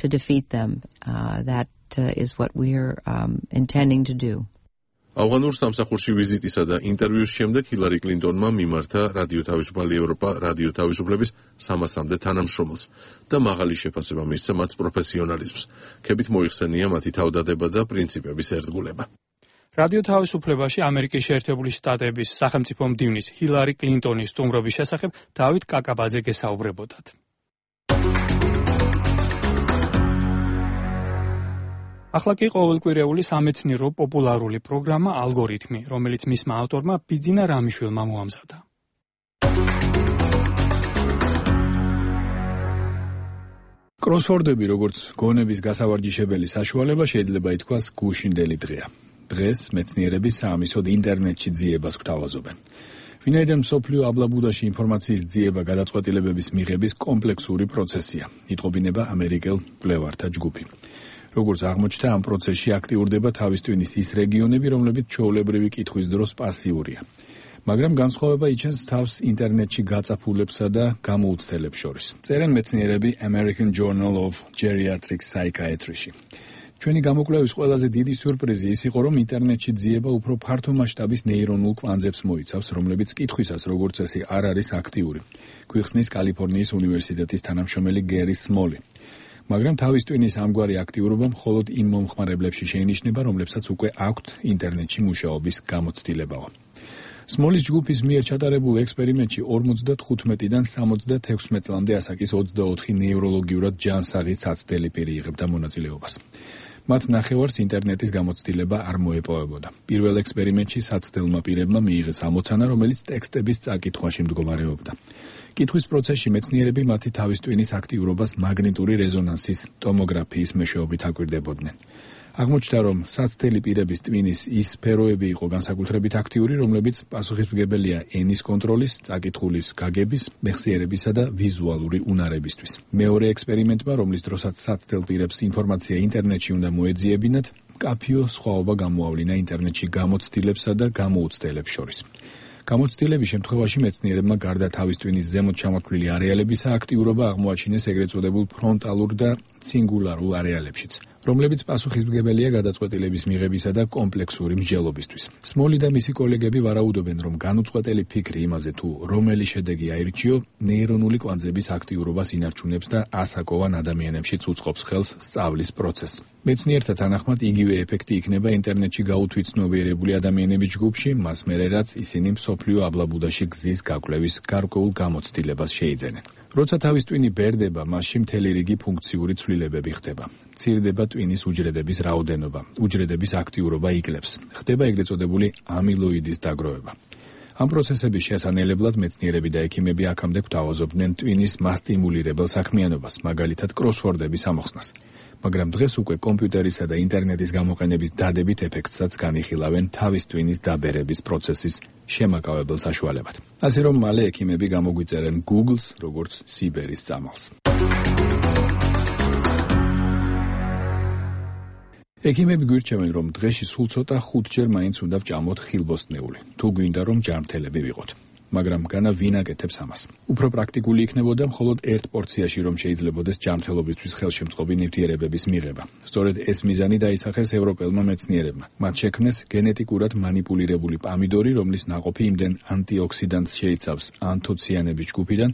Speaker 3: to defeat them. That is what we are intending to do.
Speaker 10: ავღანურ სამსახურში ვიზიტისა და ინტერვიუს შემდეგ ჰილარი კლინტონმა მიმართა რადიო თავისუფალი ევროპა რადიო თავისუფლების 300-მდე თანამშრომელს და მაღალი შეფასება მისცა მათ პროფესიონალიზმს. ქებით მოიხსენია მათი თავდადება და პრინციპების ერთგულება.
Speaker 1: რადიო თავისუფლებაში ამერიკის შეერთებული შტატების სახელმწიფო მდივნის ჰილარი კლინტონის სტუმრობის შესახებ დავით კაკაბაძე გესაუბრებოდათ. ახლა კი ყოველკვირეული სამეცნიერო პოპულარული პროგრამა ალგორითმი, რომელიც მისმა ავტორმა ბიძინა რამიშვილმა მოამზადა.
Speaker 2: კროსვორდები, როგორც გონების გასავარჯიშებელი საშუალება, შეიძლება ითქვას გუშინდელი დღეა. დღეს მეცნიერები საამისოდ ინტერნეტში ძიებას გვთავაზობენ. ვინაიდან მსოფლიო აბლაბუდაში ინფორმაციის ძიება გადაწყვეტილებების მიღების კომპლექსური პროცესია, იტყობინება ამერიკელ მკვლევართა ჯგუფი. როგორც აღმოჩნდა, ამ პროცესში აქტიურდება თავის ტვინის ის რეგიონები, რომლებიც ჩვეულებრივი კითხვის დროს პასიურია. მაგრამ განსხვავება იჩენს თავს ინტერნეტში გაწაფულებსა და გამოუცდელებს შორის. წერენ მეცნიერები American Journal of Geriatric Psychiatry-ში. ჩვენი გამოკვლევის ყველაზე დიდი სიურპრიზი ის იყო, რომ ინტერნეტში ძიება უფრო ფართო მასშტაბის ნეირონულ კვანძებს მოიცავს, რომლებიც კითხვისას როგორც წესი არ არის აქტიური. გვიხსნის კალიფორნიის უნივერსიტეტის თანამშრომელი გერი სმოლი. მაგრამ თავის ტვინის ამგვარი აქტიურობა მხოლოდ იმ მომხმარებლებში შეინიშნება, რომლებსაც უკვე აქვთ ინტერნეტში მუშაობის გამოცდილებაო. სმოლის ჯგუფის მიერ ჩატარებულ ექსპერიმენტში 55-დან 76 წლამდე ასაკის 24 ნეიროლოგიურად ჯანსაღი საცდელი პირი იღებდა მონაწილეობას. მათ ნახევარს ინტერნეტის გამოცდილება არ მოეპოვებოდა. პირველ ექსპერიმენტში საცდელმა პირებმა მიიღეს ამოცანა, რომელიც ტექსტების წაკითხვაში მდგომარეობდა. კითხვის პროცესში მეცნიერები მათი თავის ტვინის აქტიურობას მაგნიტური რეზონანსის ტომოგრაფიის მეშვეობით აკვირდებოდნენ. აღმოჩნდა, რომ საცდელი პირების ტვინის ის სფეროები იყო განსაკუთრებით აქტიური, რომლებიც პასუხისმგებელია ენის კონტროლის, წაკითხulis გაგების, მეხსიერებისა და ვიზუალური უნარებისთვის. მეორე ექსპერიმენტმა, რომლის დროსაც საცდელ პირებს ინფორმაცია ინტერნეტში უნდა მოეძიებინათ, მკაფიო სხვაობა გამოავლინა ინტერნეტში გამოცდილებსა და გამოუცდელებს შორის. გამოცდილების შემთხვევაში მეცნიერებმა გარდა თავის ტვინის ზემოთ ჩამოთვლილი არეალებისა აქტიურობა აღმოაჩინეს ეგრეთ წოდებულ ფრონტალურ და ცინგულარულ არეალებშიც, რომლებიც პასუხისმგებელია გადაწყვეტილების მიღებისა და კომპლექსური მსჯელობისთვის. სმოლი და მისი კოლეგები ვარაუდობენ, რომ განუწყვეტელი ფიქრი იმაზე, თუ რომელი შედეგი აირჩიო, ნეირონული კვანძების აქტიურობას ინარჩუნებს და ასაკოვან ადამიანებშიც უწყობს ხელს სწავლის პროცესს. მეცნიერთა თანახმად იგივე ეფექტი იქნება ინტერნეტში გაუთვითცნობიერებული ადამიანების ჯგუფში, მას მერე რაც ისინი მსოფლიო აბლაბუდაში გზის გაკვლევის გარკვეულ გამოცდილებას შეიძენენ. როცა თავის ტვინი ბერდება, მასში მთელი რიგი ფუნქციური ცვლილებები ხდება. მცირდება ტვინის უჯრედების რაოდენობა, უჯრედების აქტიურობა იკლებს. ხდება ეგრეთ წოდებული ამილოიდის დაგროვება. ამ პროცესების შესანელებლად მეცნიერები და ექიმები აქამდე გვთავაზობდნენ ტვინის მასტიმულირებელ საქმიანობას, მაგალითად კროსვორდების ამოხსნას. მაგრამ დღეს უკვე კომპიუტერისა და ინტერნეტის გამოყენების დადებით ეფექტსაც განიხილავენ თავის ტვინის დაბერების პროცესის შემაკავებელ საშუალებად. ასე რომ მალე ექიმები გამოგვიწერენ Google-ს, როგორც სიბერის წამალს. ექიმები გვირჩევენ, რომ დღეში სულ ცოტა 5-ჯერ მაინც უნდა ვჭამოთ ხილბოსტნეული, თუ გვინდა რომ ჯანმრთელები ვიყოთ. მაგრამ განა ვინ აკეთებს ამას? უფრო პრაქტიკული იქნებოდა მხოლოდ ერთ პორციაში რომ შეიძლებოდეს ჯანმრთელობისთვის ხელშემწყობი ნივთიერებების მიღება. სწორედ ეს მიზანი დაისახეს ევროპელმა მეცნიერებმა. მათ შექმნეს გენეტიკურად მანიპულირებული პამიდორი, რომლის ნაყოფი იმდენ ანტიოქსიდანტს შეიცავს ანთოციანების ჯგუფიდან,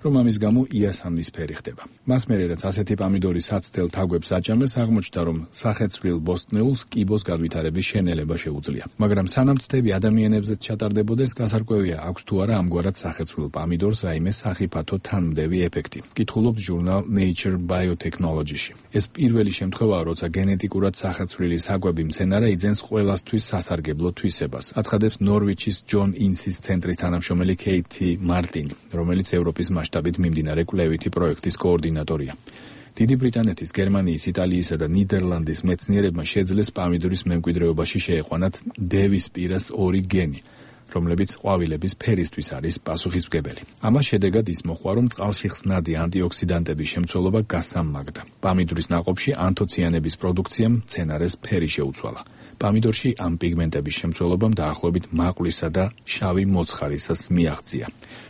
Speaker 2: რომ ამის გამო იასამნის ფერი ხდება. მას მერე რაც ასეთი პამიდორი საცდელ თაგვებს აჭამეს, აღმოჩნდა რომ სახეცვლილ ბოსტნეულს კიბოს განვითარების შენელება შეუძლია. მაგრამ სანამ ცდები ადამიანებზეც ჩატარდებოდეს, გასარკვევია აქვს თუ არა ამგვარად სახეცვლილ პამიდორს რაიმე სახიფათო თანმდევი ეფექტი. კითხულობს ჟურნალ Nature Biotechnology-ში. ეს პირველი შემთხვევაა, როცა გენეტიკურად სახეცვლილი საკვები მცენარე იძენს ყველასთვის სასარგებლო თვისებას. აცხადებს ნორვიჩის ჯონ ინსის ცენტრის თანამშრომელი კეითი მარტინი, რომელიც ევროპის მასშტაბით მიმდინარე კვლევითი პროექტის კოორდინატორია. დიდი ბრიტანეთის, გერმანიის, იტალიისა და ნიდერლანდის მეცნიერებმა შეძლეს პამიდორის მემკვიდრეობაში შეეყვანათ დევის პირას 2 გენი, რომლებიც ყვავილების ფერისთვის არის პასუხისმგებელი. ამას შედეგად ის მოყვა, რომ წყალში ხსნადი ანტიოქსიდანტების შემცველობა გასამაგდა. პამიდორის ნაყოფში ანთოციანების პროდუქციამ მცენარეს ფერი შეუცვალა. პამიდორში ამ პიგმენტების შემცველობამ დაახლოებით მაყვლისა და შავი მოცხარისას მიაღწია.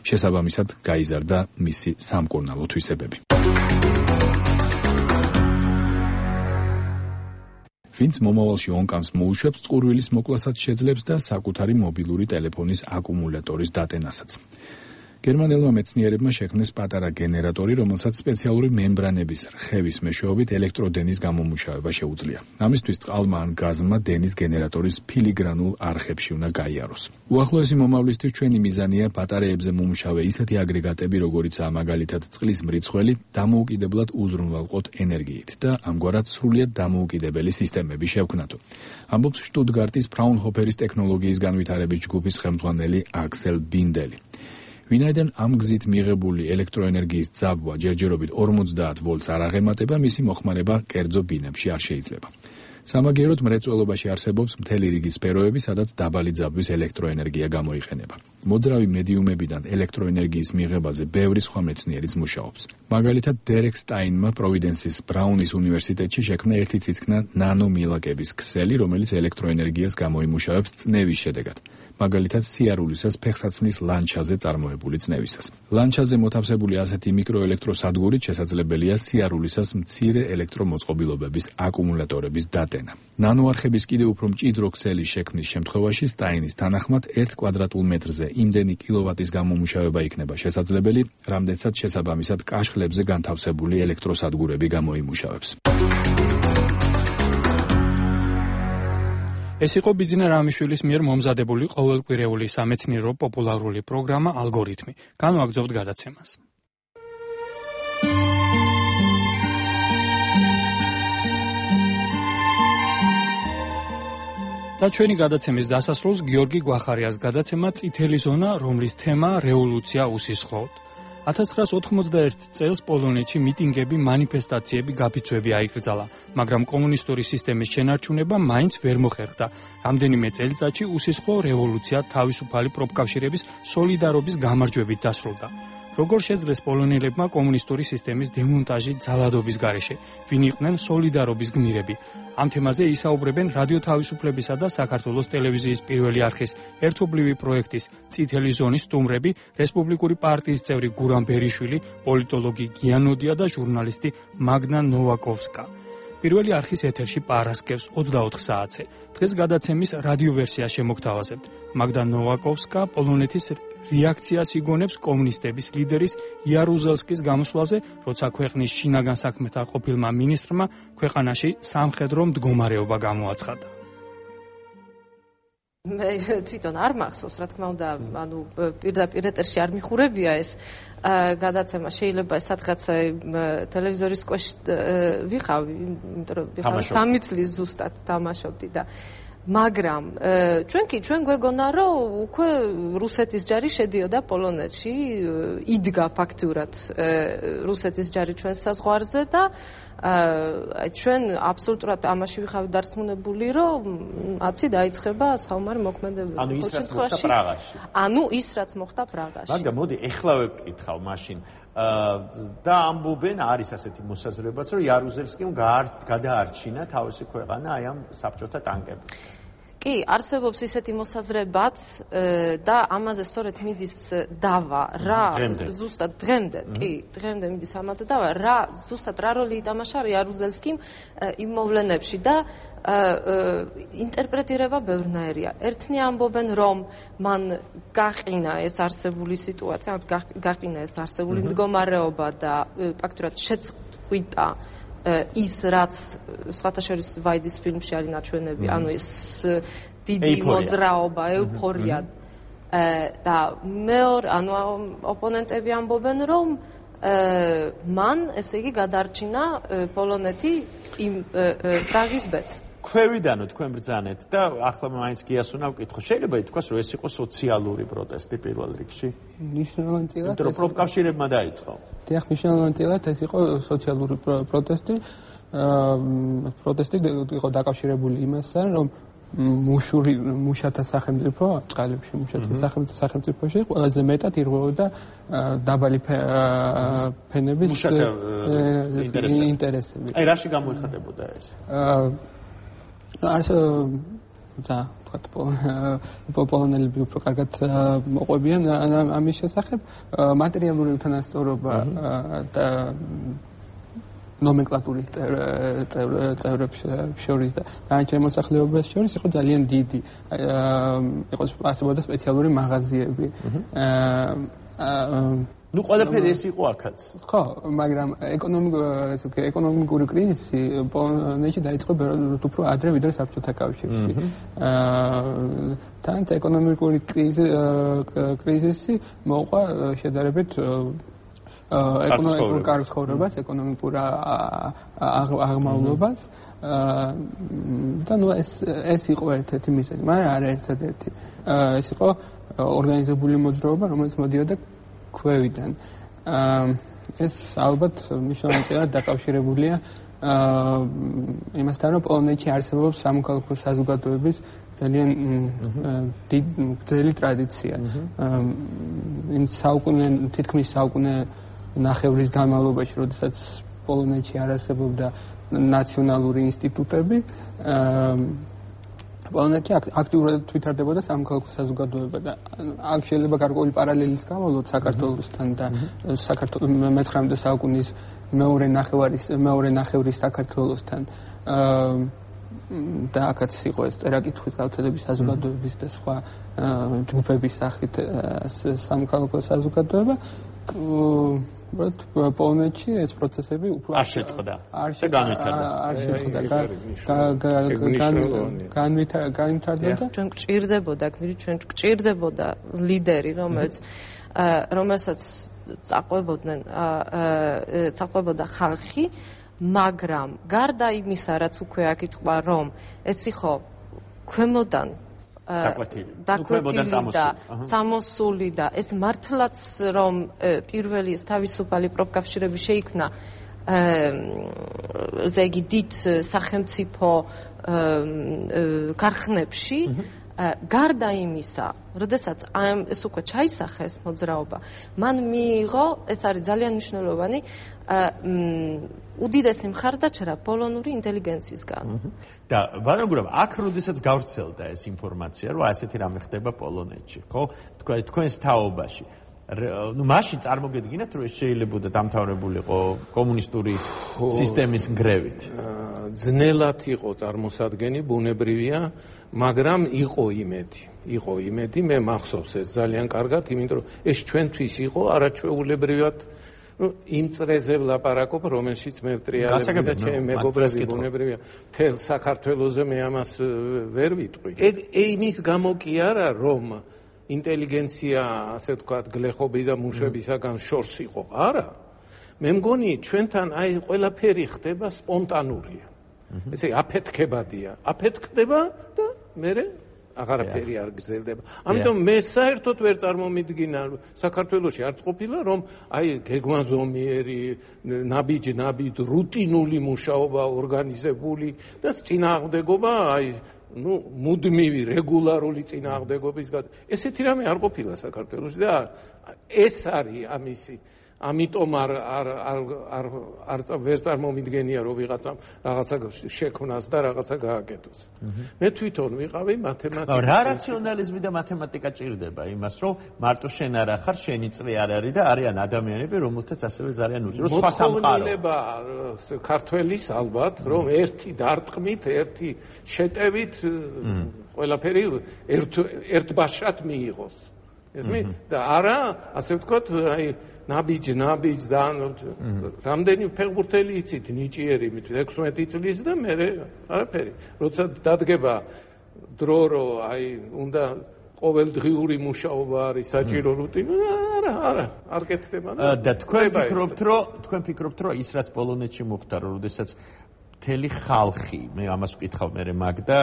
Speaker 2: შესაბამისად გაიზარდა მისი სამკურნალო თვისებები. ვინც მომავალში ონკანს მოუშვებს, წყურვილის მოკლასაც შეძლებს და საკუთარი მობილური ტელეფონის აკუმულატორის დატენასაც. გერმანელმა მეცნიერებმა შექმნეს პატარა გენერატორი, რომელსაც სპეციალური მემბრანების რხევის მეშვეობით ელექტროდენის გამომუშავება შეუძლია. ამისთვის წყალმა ან გაზმა დენის გენერატორის ფილიგრანულ არხებში უნდა გაიაროს. უახლოესი მომავლისთვის ჩვენი მიზანია ბატარეებზე მომუშავე ისეთი აგრეგატები, როგორიცაა მაგალითად წყლის მრიცხველი, დამოუკიდებლად უზრუნველყოთ ენერგიით და ამგვარად სრულიად დამოუკიდებელი სისტემები შევქმნათო. ამბობს შტუტგარტის ფრაუნჰოფერის ტექნოლოგიის განვითარების ჯგუფის ხელმძღვანელი აქსელ ბინდელი. ვინაიდან ამ გზით მიღებული ელექტროენერგიის ძაბვა ჯერჯერობით 50 ვოლტს არ აღემატება, მისი მოხმარება კერძო ბინებში არ შეიძლება. სამაგიეროდ მრეწველობაში არსებობს მთელი რიგი სფეროები, სადაც დაბალი ძაბვის ელექტროენერგია გამოიყენება. მოძრავი მედიუმებიდან ელექტროენერგიის მიღებაზე ბევრი სხვა მეცნიერიც მუშაობს. მაგალითად, დერეკ სტაინმა პროვიდენსის ბრაუნის უნივერსიტეტში შექმნა ერთი ციცქნა ნანომილაკების ქსელი, რომელიც ელექტროენერგიას გამოიმუშავებს წნევის შედეგად. მაგალითად სიარულისას ფეხსაცმლის ლანჩაზე წარმოებული წნევისას. ლანჩაზე მოთავსებული ასეთი მიკროელექტროსადგურით შესაძლებელია სიარულისას მცირე ელექტრომოწყობილობების აკუმულატორების დატენა. ნანოარხების კიდევ უფრო მჭიდრო ქსელის შექმნის შემთხვევაში სტაინის თანახმად 1 კვადრატულ მეტრზე იმდენი კილოვატის გამომუშავება იქნება შესაძლებელი, რამდენსაც შესაბამისად კაშხლებზე განთავსებული ელექტროსადგურები გამოიმუშავებს.
Speaker 1: ეს იყო ბიძინა რამიშვილის მიერ მომზადებული ყოველკვირეული სამეცნიერო პოპულარული პროგრამა ალგორითმი. განვაგრძობთ გადაცემას. და ჩვენი გადაცემის დასასრულს გიორგი გვახარიას გადაცემა წითელი ზონა, რომლის თემა რევოლუცია უსისხლოდ. 1991 წელს პოლონეთში მიტინგები, მანიფესტაციები, გაფიცვები აიკრძალა, მაგრამ კომუნისტური სისტემის შენარჩუნება მაინც ვერ მოხერხდა. რამდენიმე წელიწადში უსისხლო რევოლუცია თავისუფალი პროფკავშირების სოლიდარობის გამარჯვებით დასრულდა. როგორ შეძლეს პოლონელებმა კომუნისტური სისტემის დემონტაჟი ძალადობის გარეშე? ვინ იყვნენ სოლიდარობის გმირები? ამ თემაზე ისაუბრებენ რადიო თავისუფლებისა და საქართველოს ტელევიზიის პირველი არხის ერთობლივი პროექტის წითელი ზონის სტუმრები, რესპუბლიკური პარტიის წევრი გურამ ბერიშვილი, პოლიტოლოგი გიანოდია და ჟურნალისტი მაგნა ნოვაკოვსკა. პირველი არხის ეთერში პარასკევს 24 საათზე. დღეს გადაცემის რადიო ვერსია შემოგთავაზებთ. მაგნა ნოვაკოვსკა პოლონეთის რეაქციას იგონებს კომუნისტების ლიდერის იარუზელსკის გამოსვლაზე, როცა ქვეყნის შინაგან საქმეთა ყოფილმა მინისტრმა ქვეყანაში სამხედრო მდგომარეობა გამოაცხადა.
Speaker 21: მე თვითონ არ მახსოვს, რა თქმა უნდა, ანუ პირდაპირ ეთერში არ მიხურებია ეს გადაცემა, შეიძლება სადღაც ტელევიზორის სკოში ვიყავი, იმიტომ რომ 3 წლის ზუსტად თამაშობდი და მაგრამ ჩვენ გვეგონა რომ უკვე რუსეთის ჯარი შედიოდა პოლონეთში, იდგა ფაქტურად რუსეთის ჯარი ჩვენს საზღვარზე და ჩვენ absolutურად ამაში ვიხავით დარწმუნებული, რომ აცი დაიწყება საომარი მოქმედებები.
Speaker 4: ანუ ის რაც მოხდა პრაღაში.
Speaker 21: ანუ ის რაც მოხდა პრაღაში.
Speaker 4: მაგრამ მოდი ეხლა ვეკითხავ მაშინ და ამბობენ არის ასეთი მოსაზრებაც, რომ იარუზელსკიმ გადაარჩინა თავისი ქვეყანა აი ამ საბჭოთა ტანკებით.
Speaker 21: კი, არსებობს ისეთი მოსაზრებაც და ამაზე სწორედ მიდის დავა, რა ზუსტად დღემდე, კი, დღემდე მიდის ამაზე დავა, ზუსტად რა როლი ითამაშა იარუზელსკიმ იმ მოვლენებში და ინტერპრეტირება ბევრნაირია. ერთნი ამბობენ, რომ მან გაყინა ეს არსებული სიტუაცია, გაყინა ეს არსებული მდგომარეობა და ფაქტურად შეწყვიტა ის, რაც სხვათა შორის ვაიდის ფილმში არის ნაჩვენები, ანუ ეს დიდი მოძრაობა, ეუფორია და მეორე, ანუ ოპონენტები ამბობენ, რომ მან, ესე იგი, გადარჩინა პოლონეთი იმ პრაღის ბედს.
Speaker 4: ქვევიდანო თქვენ ბრძანეთ და ახლა მაინც გიას უნდა ვკითხო. შეიძლება ითქვას, რომ ეს იყო სოციალური პროტესტი პირველ რიგში?
Speaker 6: მნიშვნელოვანწილად.
Speaker 4: იმიტომ რომ პროფკავშირებმა დაიწყო.
Speaker 6: დიახ, მნიშვნელოვანწილად ეს იყო სოციალური პროტესტი. პროტესტი იყო დაკავშირებული იმასთან, რომ მუშათა სახელმწიფო წყალებში მუშათა სახელმწიფოში ყველაზე მეტად ირღვეოდა დაბალი ფენების ინტერესები.
Speaker 4: აი რაში გამოიხატებოდა ეს?
Speaker 6: პოლონელები უფრო კარგად მოყვებიან ამის შესახებ მატერიალური უთანასწორობა და ნომენკლატურის წევრებს შორის და განაჩენ მოსახლეობას შორის იყო ძალიან დიდი. იყო არსებობდა სპეციალური მაღაზიები.
Speaker 4: ნუ ყველაფერი ეს იყო აქაც.
Speaker 6: ხო, მაგრამ ეკონომიკური კრიზისი პოლონეთში დაიწყო უფრო ადრე ვიდრე საბჭოთა კავშირში. თან ეკონომიკური კრიზისი მოყვა შედარებით ეკონომიკურ კარგ ცხოვრებას, ეკონომიკურ აღმავლობას და ნუ ეს იყო ერთ-ერთი მიზეზი, მაგრამ არა ერთადერთი. ეს იყო ორგანიზებული მოძრაობა, რომელიც მოდიოდა ქვევიდან. ეს ალბათ მნიშვნელოვნად დაკავშირებულია იმასთან, რომ პოლონეთში არსებობს სამოქალაქო საზოგადოების ძალიან ძელი ტრადიცია. თითქმის საუკუნე ნახევრის განმავლობაში, როდესაც პოლონეთში არ არსებობდა ნაციონალური ინსტიტუტები, პოლონეთში აქტიურად თვითარდებოდა სამოქალაქო საზოგადოება და აქ შეიძლება გარკვეული პარალელის გამოვიდოთ საქართველოსთან და მე-19 საუკუნის მეორე ნახევრის საქართველოსთან და აქაც იყო ეს წერა-კითხვის გავრცელების საზოგადოების და სხვა ჯგუფების სახით სამოქალაქო საზოგადოება. პოლონეთში ეს პროცესები უფრო
Speaker 4: არ შეწყდა და
Speaker 6: განვითარდა.
Speaker 21: ჩვენ გვჭირდებოდა ლიდერი, რომელსაც წაყვებოდა ხალხი, მაგრამ გარდა იმისა, რაც უკვე აქ ითქვა, რომ ეს იყო ქვემოდან დაკვეთილი და წამოსული და ეს მართლაც რომ პირველი ეს თავისუფალი პროფკავშირები შეიქმნა ზეგი დიდ სახელმწიფო ქარხნებში გარდა იმისა, როდესაც ეს უკვე ჩაისახეს მოძრაობა, მან მიიღო, ეს არის ძალიან მნიშვნელოვანი, უდიდესი მხარდაჭერა პოლონური ინტელიგენციისგან.
Speaker 4: და ბატონო გურამ, აქ როდესაც გავრცელდა ეს ინფორმაცია, რომ ასეთი რამე ხდება პოლონეთში, ხო? თქვენს თაობაში. ნუ მაშინ წარმოგედგინათ, რომ ეს შეიძლებოდა დამთავრებულიყო კომუნისტური სისტემის ნგრევით.
Speaker 6: ძნელად იყო წარმოსადგენი, ბუნებრივია, მაგრამ იყო იმედი, მე მახსოვს ეს ძალიან კარგად, იმიტომ რომ ეს ჩვენთვის იყო არაჩვეულებრივად იმ წრეზე ვლაპარაკობ, რომელშიც მე ვტრიალები და ჩემი მეგობრები ბუნებრივია, მთელ საქართველოზე მე ამას ვერ ვიტყვი. იმის გამო კი არა, რომ ინტელიგენცია, ასე ვთქვათ, გლეხობი და მუშებისაგან შორს იყო, არა. მე მგონი ჩვენთან აი ყველაფერი ხდება სპონტანურია. ესე აფეთქებადია, აფეთქდება და მე აღარაფერი არ გრძელდება. ამიტომ მე საერთოდ ვერ წარმომიდგინა საქართველოში არც ყოფილა, რომ აი გეგმაზომიერი, ნაბიჯ რუტინული მუშაობა ორგანიზებული და წინააღმდეგობა აი მუდმივი რეგულარული წინააღმდეგობის ესეთი რამე არ ყოფილა საქართველოში და ეს არის ამისი ამიტომ არ ვერ წარმომიდგენია რომ ვიღაცამ რაღაცა შექმნას და რაღაცა გააკეთოს. მე თვითონ ვიყავი მათემატიკა.
Speaker 4: რა რაციონალიზმი და მათემატიკა ჭირდება იმას რომ მარტო შენ არ ახარ, შენი წრე არ არის და არიან ადამიანები რომელთაც ასევე ძალიან უჭირო სხვა სამყარო.
Speaker 6: ქართველის ალბათ რომ ერთი დარტყმით, ერთი შეტევით ყველაფერი ერთბაშად მიიღოს. ესმი და არა, ასე ვთქვათ, აი ნაბიჯ და რამდენი ფეხბურთელი იცით ნიჭიერი 16 წლის და მე არაფერი. როცა დადგება დრო რომ აი უნდა ყოველდღიური მუშაობა არის საჭირო რუტინა, არ კეთდება
Speaker 4: და თქვენ ფიქრობთ რომ ის რაც პოლონეთში მომხდარა, როდესაც მთელი ხალხი, მე ამას ვკითხავ მე მაგდა,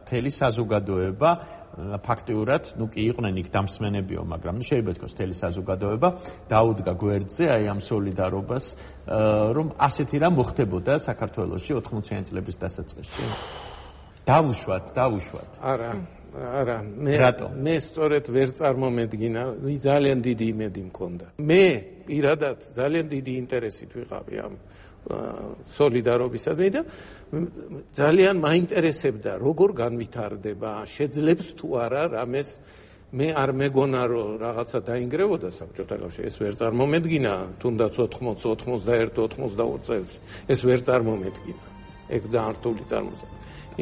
Speaker 4: მთელი საზოგადოება ფაქტიურად, კი იყვნენ იქ დამსმენებიო, მაგრამ შეიძლება ითქვას მთელი საზოგადოება დაუდგა გვერდზე აი ამ სოლიდარობას, რომ ასეთი რამ მოხდებოდა საქართველოში 80-იანი წლების დასაწყისში. დავუშვათ.
Speaker 6: არა, მე სწორედ ვერ წარმომედგინა, ძალიან დიდი იმედი მქონდა. მე პირადად ძალიან დიდი ინტერესით ვიყავი ამ სოლიდარობისადმი და ძალიან მაინტერესებდა როგორ განვითარდება, შეძლებს თუ არა რამეს. მე არ მეგონა რომ რაღაცა დაინგრევოდა საბჭოთა კავშირში, ეს ვერ წარმომედგინა, თუნდაც 80, 81, 82 წელს ეს ვერ წარმომედგინა. ეგ ძალიან რთული წარმოსახვა.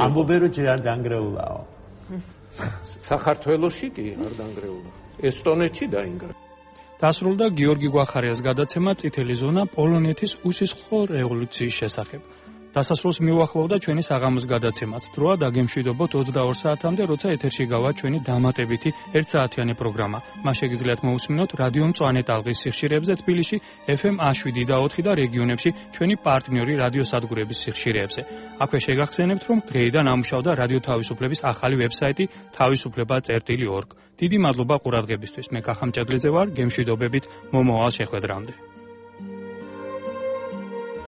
Speaker 4: ამბობენ რომ ჯერ არ დაანგრეულაო.
Speaker 6: საქართველოში კი არ დაანგრეულა. ესტონეთში დაინგრევა.
Speaker 1: დასრულდა გიორგი გვახარიას გადაცემა წითელი ზონა პოლონეთის უსისხლო რევოლუციის შესახებ. დასასრულს მიუახლოვდა ჩვენი საღამოს გადაცემაც. დროა დაგემშვიდობოთ 22 საათამდე, როცა ეთერში გავა ჩვენი დამატებითი 1 საათიანი პროგრამა. მას შეგიძლიათ მოусმინოთ რადიო მწვანე ტალღის სიხშირეებზე თბილისში, FM 7 და 4 და რეგიონებში ჩვენი პარტნიორი რადიოსადგურების სიხშირეებზე. აქვე შეგახსენებთ, რომ დღეიდან ამუშავდა რადიო თავისუფლების ახალი ვებსაიტი თავისუფლება.org. დიდი მადლობა ყურადღებისთვის. მე კახა მჭედლიძე ვარ, გემშვიდობებით მომავალ შეხვედრამდე.